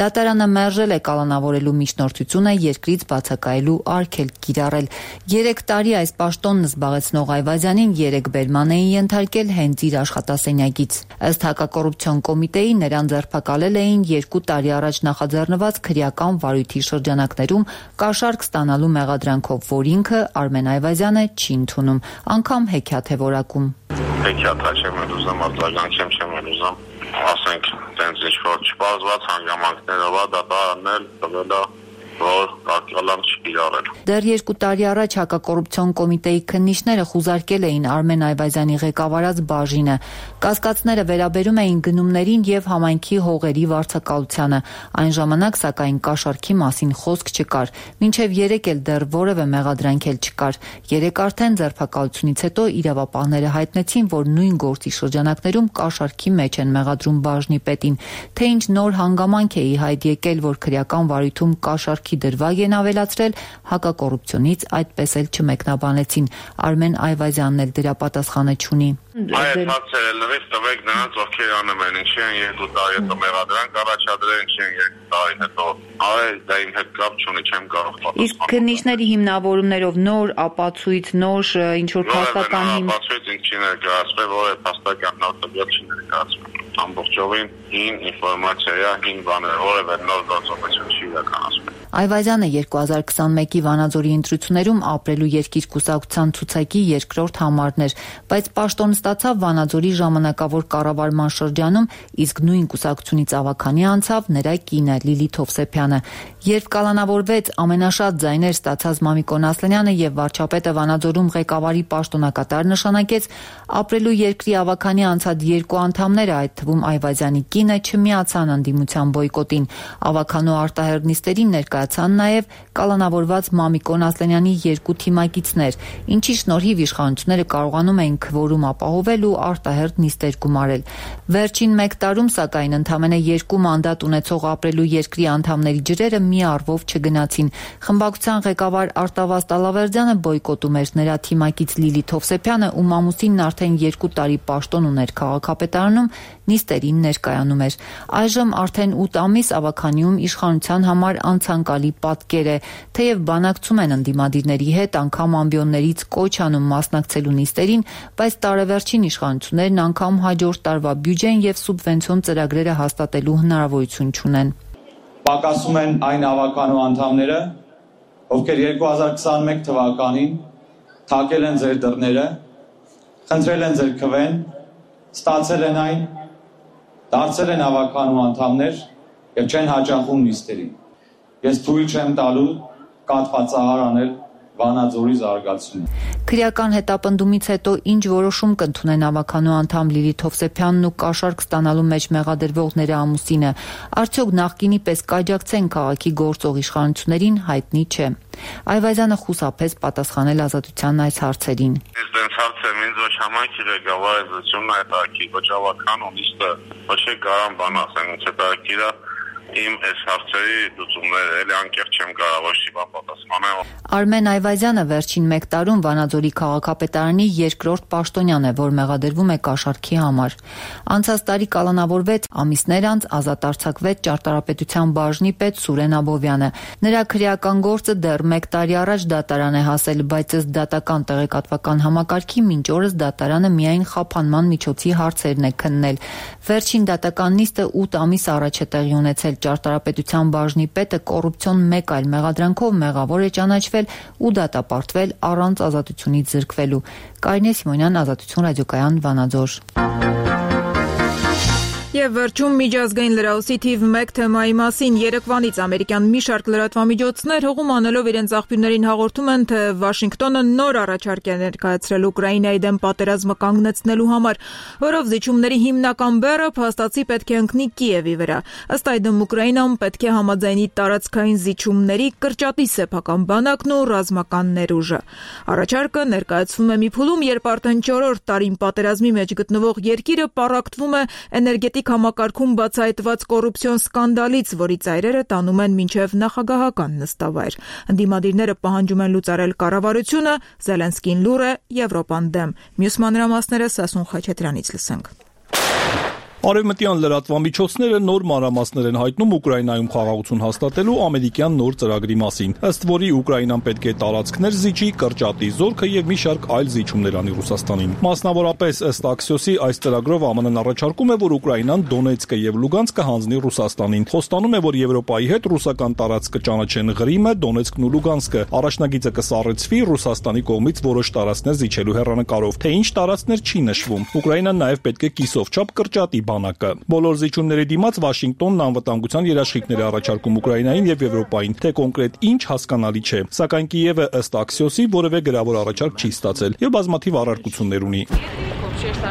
Դատարանը մերժել է կալանավորելու միջնորդությունը երկրից բացակայելու արգելք կիրառել։ 3 տարի այս պաշտոնն զբաղեցնող Այվազյանին 3 բերման էին ենթարկել հենց իր աշխատասենյակից։ Ըստ հակակոռուպցիոն կոմիտեի նրան ձերբակալել էին 2 տարի առաջ նախաձեռնված քրեական վարույթի շրջանակներում կաշառք ստանալու մեղադրանքով, որ ինքը Արմեն Այվազյանը չի ընդունում, անգամ հեքիաթ է որակում։ Հեքիաթ չեմ ուզում, արձագանքեմ չեմ ուզում, ասենք, տենց ինչ-որ չպարզված հանգամանքներով դատարանն էլ տվել է, որ արգելանք չկիրառել։ Դեռ 2 տարի առաջ հակակոռուպցիոն կոմիտեի քննիչները խուզարկել էին Արմեն Այվազյանի ղեկավարած բաժինը։ Կասկածները վերաբերում էին գնումներին եւ համայնքի հողերի վարձակալությանը։ Այն ժամանակ սակայն կաշառքի մասին խոսք չկար։ Մինչեւ 3 էլ դեռ որևէ մեղադրանք էլ չկար։ 3 արդեն ձերբակալությունից հետո իրավապահները հայտնեցին, որ նույն գործի շրջանակներում կաշառքի մեջ են մեղադրում բաժնի պետին։ Թե ինչ նոր հանգամանք է ի հայտ եկել, որ քրեական վարույթում կաշառքի դրվագ են ավելացրել, հակակոռուպցիոնից այդպես էլ չմեկնաբանեցին։ Արմեն Այվազյանն էլ դրա պատասխանը չունի։ Այդ հարցերը լրիվ տվեք նրանց, ովքեր անում են, ինչի են 2 տարի հետո մեղադրանք առաջադրել, ինչի են 2 տարի հետո, դա իմ հետ կապ չունի, չեմ կարող պատասխանել։ Իսկ քննիչների հիմնավորումներով նոր ապացույց, նոր ինչ-որ փաստական ապացույց ինչի ներկայացվել, որը փաստական նոր տվյալ չի ներկայացվել։ Ամբողջովին հին ինֆորմացիա է, հին բաներ, որևէ նոր գործողություն չի իրականացվել։ Այվազյանը 2021-ի Վանաձորի ընտրություններում ապրելու երկիր կուսակցության ցուցակի 2-րդ համարն էր, բայց պաշտոն ստացավ Վանաձորի ժամանակավոր կառավարման շրջանում, իսկ նույն կուսակցությունից ավագանի անցավ նրա կինը Լիլիթ Հովսեփյանը։ Երբ կալանավորվեց, ամենաշատ ձայներ ստացած Մամիկոն Ասլանյանը եւ վարչապետը Վանաձորում ղեկավարի պաշտոնակատար նշանակեց, ապրելու երկրի ավագանի անցած 2 անդամները, այդ թվում Այվազյանի կինը, չմիացան ընդդիմության բոյկոտին։ Ավագանու արտահերնիստերին ներկայ ներկայացան նաև կալանավորված Մամիկոն Ասլանյանի 2 թիմակիցներ, ինչի շնորհիվ իշխանությունները կարողանում էին քվորում ապահովել ու արտահերթ նիստեր գումարել։ Վերջին 1 տարում, սակայն, ընդամենը 2 մանդատ ունեցող ապրելու երկրի անդամների ջրերը մի առվով չգնացին։ Խմբակցության ղեկավար Արտավազ Տալավերդյանը բոյկոտում էր, նրա թիմակից Լիլիթ Հովսեփյանը, ում ամուսինն արդեն 2 տարի պաշտոն ուներ քաղաքապետարանում, նիստերին ներկայանում էր։ Այժմ արդեն 8 ամիս Ավագանիում իշխանության համար անցանկալի պատկեր է, թեև բանակցում են ընդդիմադիրների հետ, անգամ ամբիոններից կոչ անում մասնակցելու նիստերին, բայց տարեվերջին իշխանություններն անգամ հաջորդ տարվա բյուջեն եւ սուբվենցիոն ծրագրերը հաստատելու հնարավորություն չունեն։ Պակասում են այն Ավագանու անդամները, ովքեր 2021 թվականին թակել են ձեր դռները, խնդրել են ձեր քվեն, ստացել են այն, դարձել են Ավագանու անդամներ եւ չեն հաճախում նիստերին։ Ես թույլ չեմ տալու կաթվածահար անել Վանաձորի զարգացումը։ Քրեական հետապնդումից հետո ինչ որոշում կընդունեն Ավագանու անդամ Լիլիթ Հովսեփյանն ու կաշառք ստանալու մեջ մեղադրվող նրա ամուսինը, արդյոք նախկինի պես կաջակցեն քաղաքի գործող իշխանություններին, հայտնի չէ։ Այվազյանը խուսափեց պատասխանել Ազատության այս հարցերին։ Դենց հարցը ինձ ոչ համայնքի ղեկավարությունն է տակի, ոչ Ավագանու նիստը, ոչ Գարան բան ասեն, ոչ տակիրա իմ այս հարցերի լուծումները էլի անկեղծ չեմ կարող ոչ մի բան պատասխանել։ Արմեն Այվազյանը վերջին 1 տարում Վանաձորի քաղաքապետարանի 2-րդ պաշտոնյան է, որ մեղադրվում է կաշառքի համար։ Անցած տարի կալանավորվեց, ամիսներ անց ազատ արձակվեց ճարտարապետության բաժնի պետ Սուրեն Աբովյանը։ Նրա քրեական գործը դեռ 1 տարի առաջ դատարան է հասել, բայց ըստ դատական տեղեկատվական համակարգի մինչ օրս դատարանը միայն խափանման միջոցի հարցերն է քննել։ Վերջին դատական նիստը 8 ամիս առաջ է տեղի ունեցել։ Ճարտարապետության բաժնի պետը կոռուպցիոն 1 այլ մեղադրանքով մեղավոր է ճանաչվել ու դատապարտվել առանց ազատությունից զրկվելու։ Կարինե Սիմոնյան, Ազատություն ռադիոկայան, Վանաձոր։ Եվ վերջում միջազգային լրահոսի թիվ 1 թեմայի մասին երեկվանից ամերիկյան մի շարք լրատվամիջոցներ հողում անելով իրենց աղբյուրներին հաղորդում են, թե Վաշինգտոնը նոր առաջարկ է ներկայացրել Ուկրաինայի դեմ պատերազմը կանգնեցնելու համար, որով զիջումների հիմնական բեռը փաստացի պետք է ընկնի Կիևի վրա։ Ըստ այդմ Ուկրաինան պետք է համաձայնի տարածքային զիջումների, կրճատի սեփական բանակն ու ռազմական ներուժը։ Առաջարկը ներկայացվում է մի փուլում, երբ արդեն 4-րդ տարին պատերազմի մեջ գտնվող երկիրը պառակտվում է էներգետիկ համակարգում բացահայտված կոռուպցիոն սկանդալից, որի ծայրերը տանում են մինչև նախագահական նստավայր։ Ընդդիմադիրները պահանջում են լուծարել կառավարությունը, Զելենսկին լուր է Եվրոպան դեմ։ Մյուս մանրամասները Սասուն Խաչատրյանից լսենք։ Արևմտյան լրատվամիջոցները նոր մանրամասներ են հայտնում Ուկրաինայում խաղաղություն հաստատելու ամերիկյան նոր ծրագրի մասին, ըստ որի Ուկրաինան պետք է տարածքներ զիջի, կրճատի զորքը եւ մի շարք այլ զիջումներ անի Ռուսաստանին։ Մասնավորապես ըստ Axios-ի այս ծրագրով ԱՄՆ-ն առաջարկում է, որ Ուկրաինան Դոնեցկը եւ Լուգանսկը հանձնի Ռուսաստանին։ Խոստանում է, որ Եվրոպայի հետ ռուսական տարածքը ճանաչեն Ղրիմը, Դոնեցկն ու Լուգանսկը։ Առաջնագիծը կսառեցվի Ռուսաստանի կողմից որոշ տարածքներ զիջելու հեռանկարով, թե ինչ տարածքներ չի նշվում։ Ուկրաինան նաեւ պետք է կիսով չափ կրճատի բանակը։ Բոլոր զիջումների դիմաց Վաշինգտոնն անվտանգության երաշխիքներ է առաջարկում Ուկրաինային եւ Եվրոպային, թե կոնկրետ ինչ հասկանալի չէ։ Սակայն Կիևը ըստ Axios-ի որևէ գրավոր առաջարկ չի ստացել եւ բազմաթիվ առարկություններ ունի։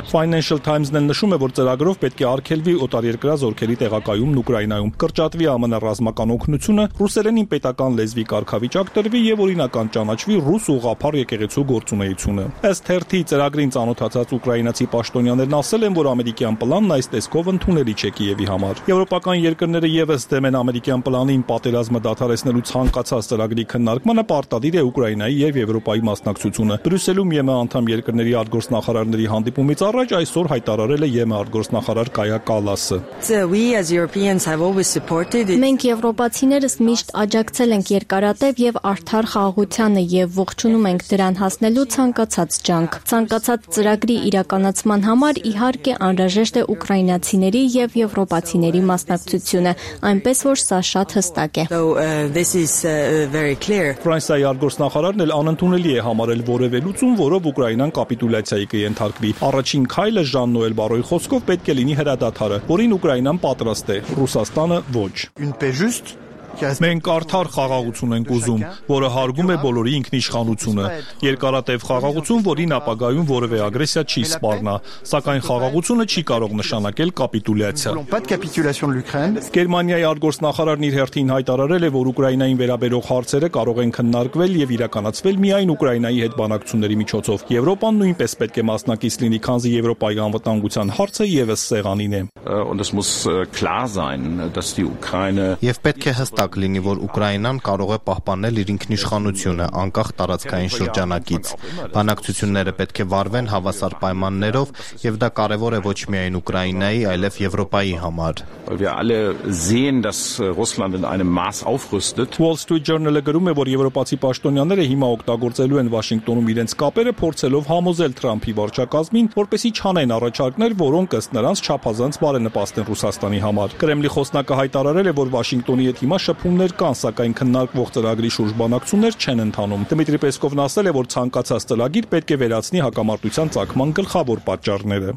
Financial Times-ն էլ նշում է, որ ծրագրով պետք է արգելվի օտարերկրյա զորքերի տեղակայումն Ուկրաինայում, կրճատվի ԱՄՆ ռազմական օգնությունը, ռուսերենին պետական լեզվի կարգավիճակ տրվի եւ օրինական ճանաչվի ռուս ուղղափառ եկեղեցու գործունեությունը։ Ըստ թերթի ծրագրին ծանոթացած ուկրաինացի պաշտոնյաներն ասել են, որ ամերիկյան պլանն այս տեսքով ընդունելի չէ Կիևի համար։ Եվրոպական երկրները եւս դեմ են ամերիկյան պլանին պատերազմը դադարեցնելու ցանկացած ծրագրի քննարկմանը, պարտադիր է Ուկրաինայի եւ Եվրոպայի մասնակցությունը։ Բրյուսելում ԵՄ անդամ երկրների արտգործնախարարների հանդիպումից առաջ այսօր հայտարարել է ԵՄ արտգործնախարար Կայա Կալասը։ Մենք եվրոպացիներս միշտ աջակցել ենք երկարատև եւ արդար խաղաղությանը եւ ողջունում ենք դրան հասնելու ցանկացած ջանք։ Ցանկացած ծրագրի իրականացման համար իհարկե անհրաժեշտ է ուկրաինացիների եւ եվրոպացիների մասնակցությունը, այնպես որ սա շատ հստակ է։ Ֆրանսիայի արտգործնախարարն էլ անընդունելի է համարել որևէ լուծում, որով Ուկրաինան կապիտուլյացիայի կենթարկվի։ Առաջին քայլը Ժան-Նոել Բարոյի խոսքով պետք է լինի հրադադարը, որին Ուկրաինան պատրաստ է, Ռուսաստանը ոչ։ Մենք արդար խաղաղություն ենք ուզում, որը հարգում է բոլորի ինքնիշխանությունը, երկարատև խաղաղություն, որին ապագայում որևէ ագրեսիա չի սպառնա, սակայն խաղաղությունը չի կարող նշանակել կապիտուլյացիա։ Գերմանիայի արտգործնախարարն իր հերթին հայտարարել է, որ Ուկրաինային վերաբերող հարցերը կարող են քննարկվել եւ իրականացվել միայն Ուկրաինայի հետ բանակցությունների միջոցով։ Եվրոպան նույնպես պետք է մասնակից լինի, քանզի Եվրոպայի անվտանգության հարցը եւս սեղանին է։ Եվ պետք է հստակ լինի, որ Ուկրաինան կարող է պահպանել իր ինքնիշխանությունը անկախ տարածքային շրջանակից։ Բանակցությունները պետք է վարվեն հավասար պայմաններով, եւ դա կարեւոր է ոչ միայն Ուկրաինայի, այլև Եվրոպայի համար։ Wall Street Journal-ը գրում է, որ եվրոպացի պաշտոնյաները հիմա օգտագործելու են Վաշինգտոնում իրենց կապերը, փորձելով համոզել Թրամփի վարչակազմին, որպեսզի չանեն առաջարկներ, որոնք ըստ նրանց չափազանց բարենպաստ են Ռուսաստանի համար։ Կրեմլի խոսնակը հայտարարել է, որ Վաշինգտոնի հետ հիմա շփումներ կան, սակայն քննարկվող ծրագրի շուրջ բանակցություններ չեն ընթանում։ Դմիտրի Պեսկովն ասել է, որ ցանկացած ծրագիր պետք է վերացնի հակամարտության ծագման գլխավոր պատճառները։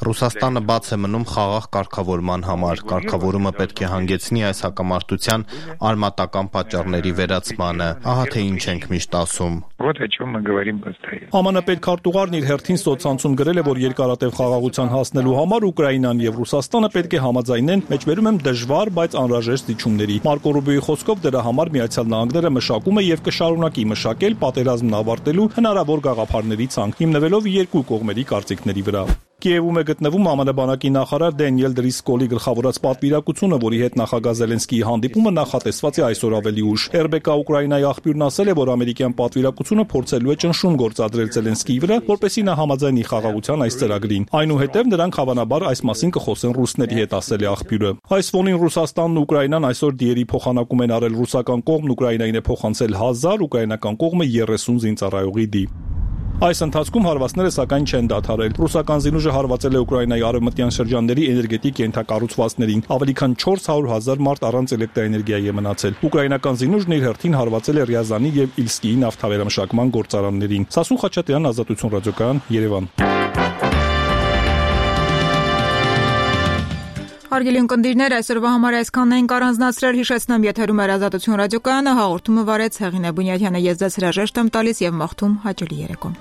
Ռուսաստանը բաց է մնում խաղաղ կարգավորման համար։ Կարգավորումը պետք է հանգեցնի այս հակամարտության արմատական պատճառների վերացմանը։ Ահա թե ինչ ենք միշտ ասում։ ԱՄՆ պետքարտուղարն իր հերթին սոցցանցում գրել է, որ երկարատև խաղաղության հասնելու համար Ուկրաինան եւ Ռուսաստանը պետք է համաձայնեն, մեջբերում եմ դժվար, բայց անհրաժեշտ զիջումների։ Մարկո Ռուբիոյի խոսքով դրա համար Միացյալ Նահանգները մշակում է եւ կշարունակի մշակել պատերազմն ավարտելու հնարավոր գաղափարների ցանկ, հիմնվելով երկու կողմերի կարծիքների վրա։ Կիևում է գտնվում ԱՄՆ բանակի նախարար Դենիել Դրիսկոլի գլխավորած պատվիրակությունը, որի հետ նախագահ Զելենսկիի հանդիպումը նախատեսված է այսօր ավելի ուշ։ RBK Ուկրաինայի աղբյուրն ասել է, որ ամերիկյան պատվիրակությունը փորձելու է ճնշում գործադրել Զելենսկիի վրա, որպեսզի նա համաձայնի խաղաղության այս ծրագրին։ Այնուհետև նրանք հավանաբար այս մասին կխոսեն ռուսների հետ, ասել է աղբյուրը։ Այս ֆոնին Ռուսաստանն ու Ուկրաինան այսօր դիերի փոխանակում են արել ռուսական կողմն Ուկրաինային է փոխանցել 1000, ուկրաինական կողմը 30 զինծառայողի դի։ Այս ընթացքում հարվածները սակայն չեն դադարել։ Ռուսական զինուժը հարվածել է Ուկրաինայի արևմտյան շրջանների էներգետիկ ենթակառուցվածքներին։ Ավելի քան 400,000 մարդ առանց էլեկտրաէներգիայի է մնացել։ Ուկրաինական զինուժն իր հերթին հարվածել է Ռյազանի եւ Իլսկիի նավթավերամշակման գործարաններին։ Սասուն Խաչատրյան, Ազատություն ռադիոկայան, Երևան։ Հարգելի ունկնդիրներ, այսօրվա համար այսքանն ենք առանձնացրել, հիշեցնեմ, եթերում էր Ազատություն ռադիոկայանը, հաղորդումը վարեց Հեղինե Բունյաթյանը, ես ձեզ հրաժեշտ եմ տալիս եւ մաղթում հաճելի երեկո։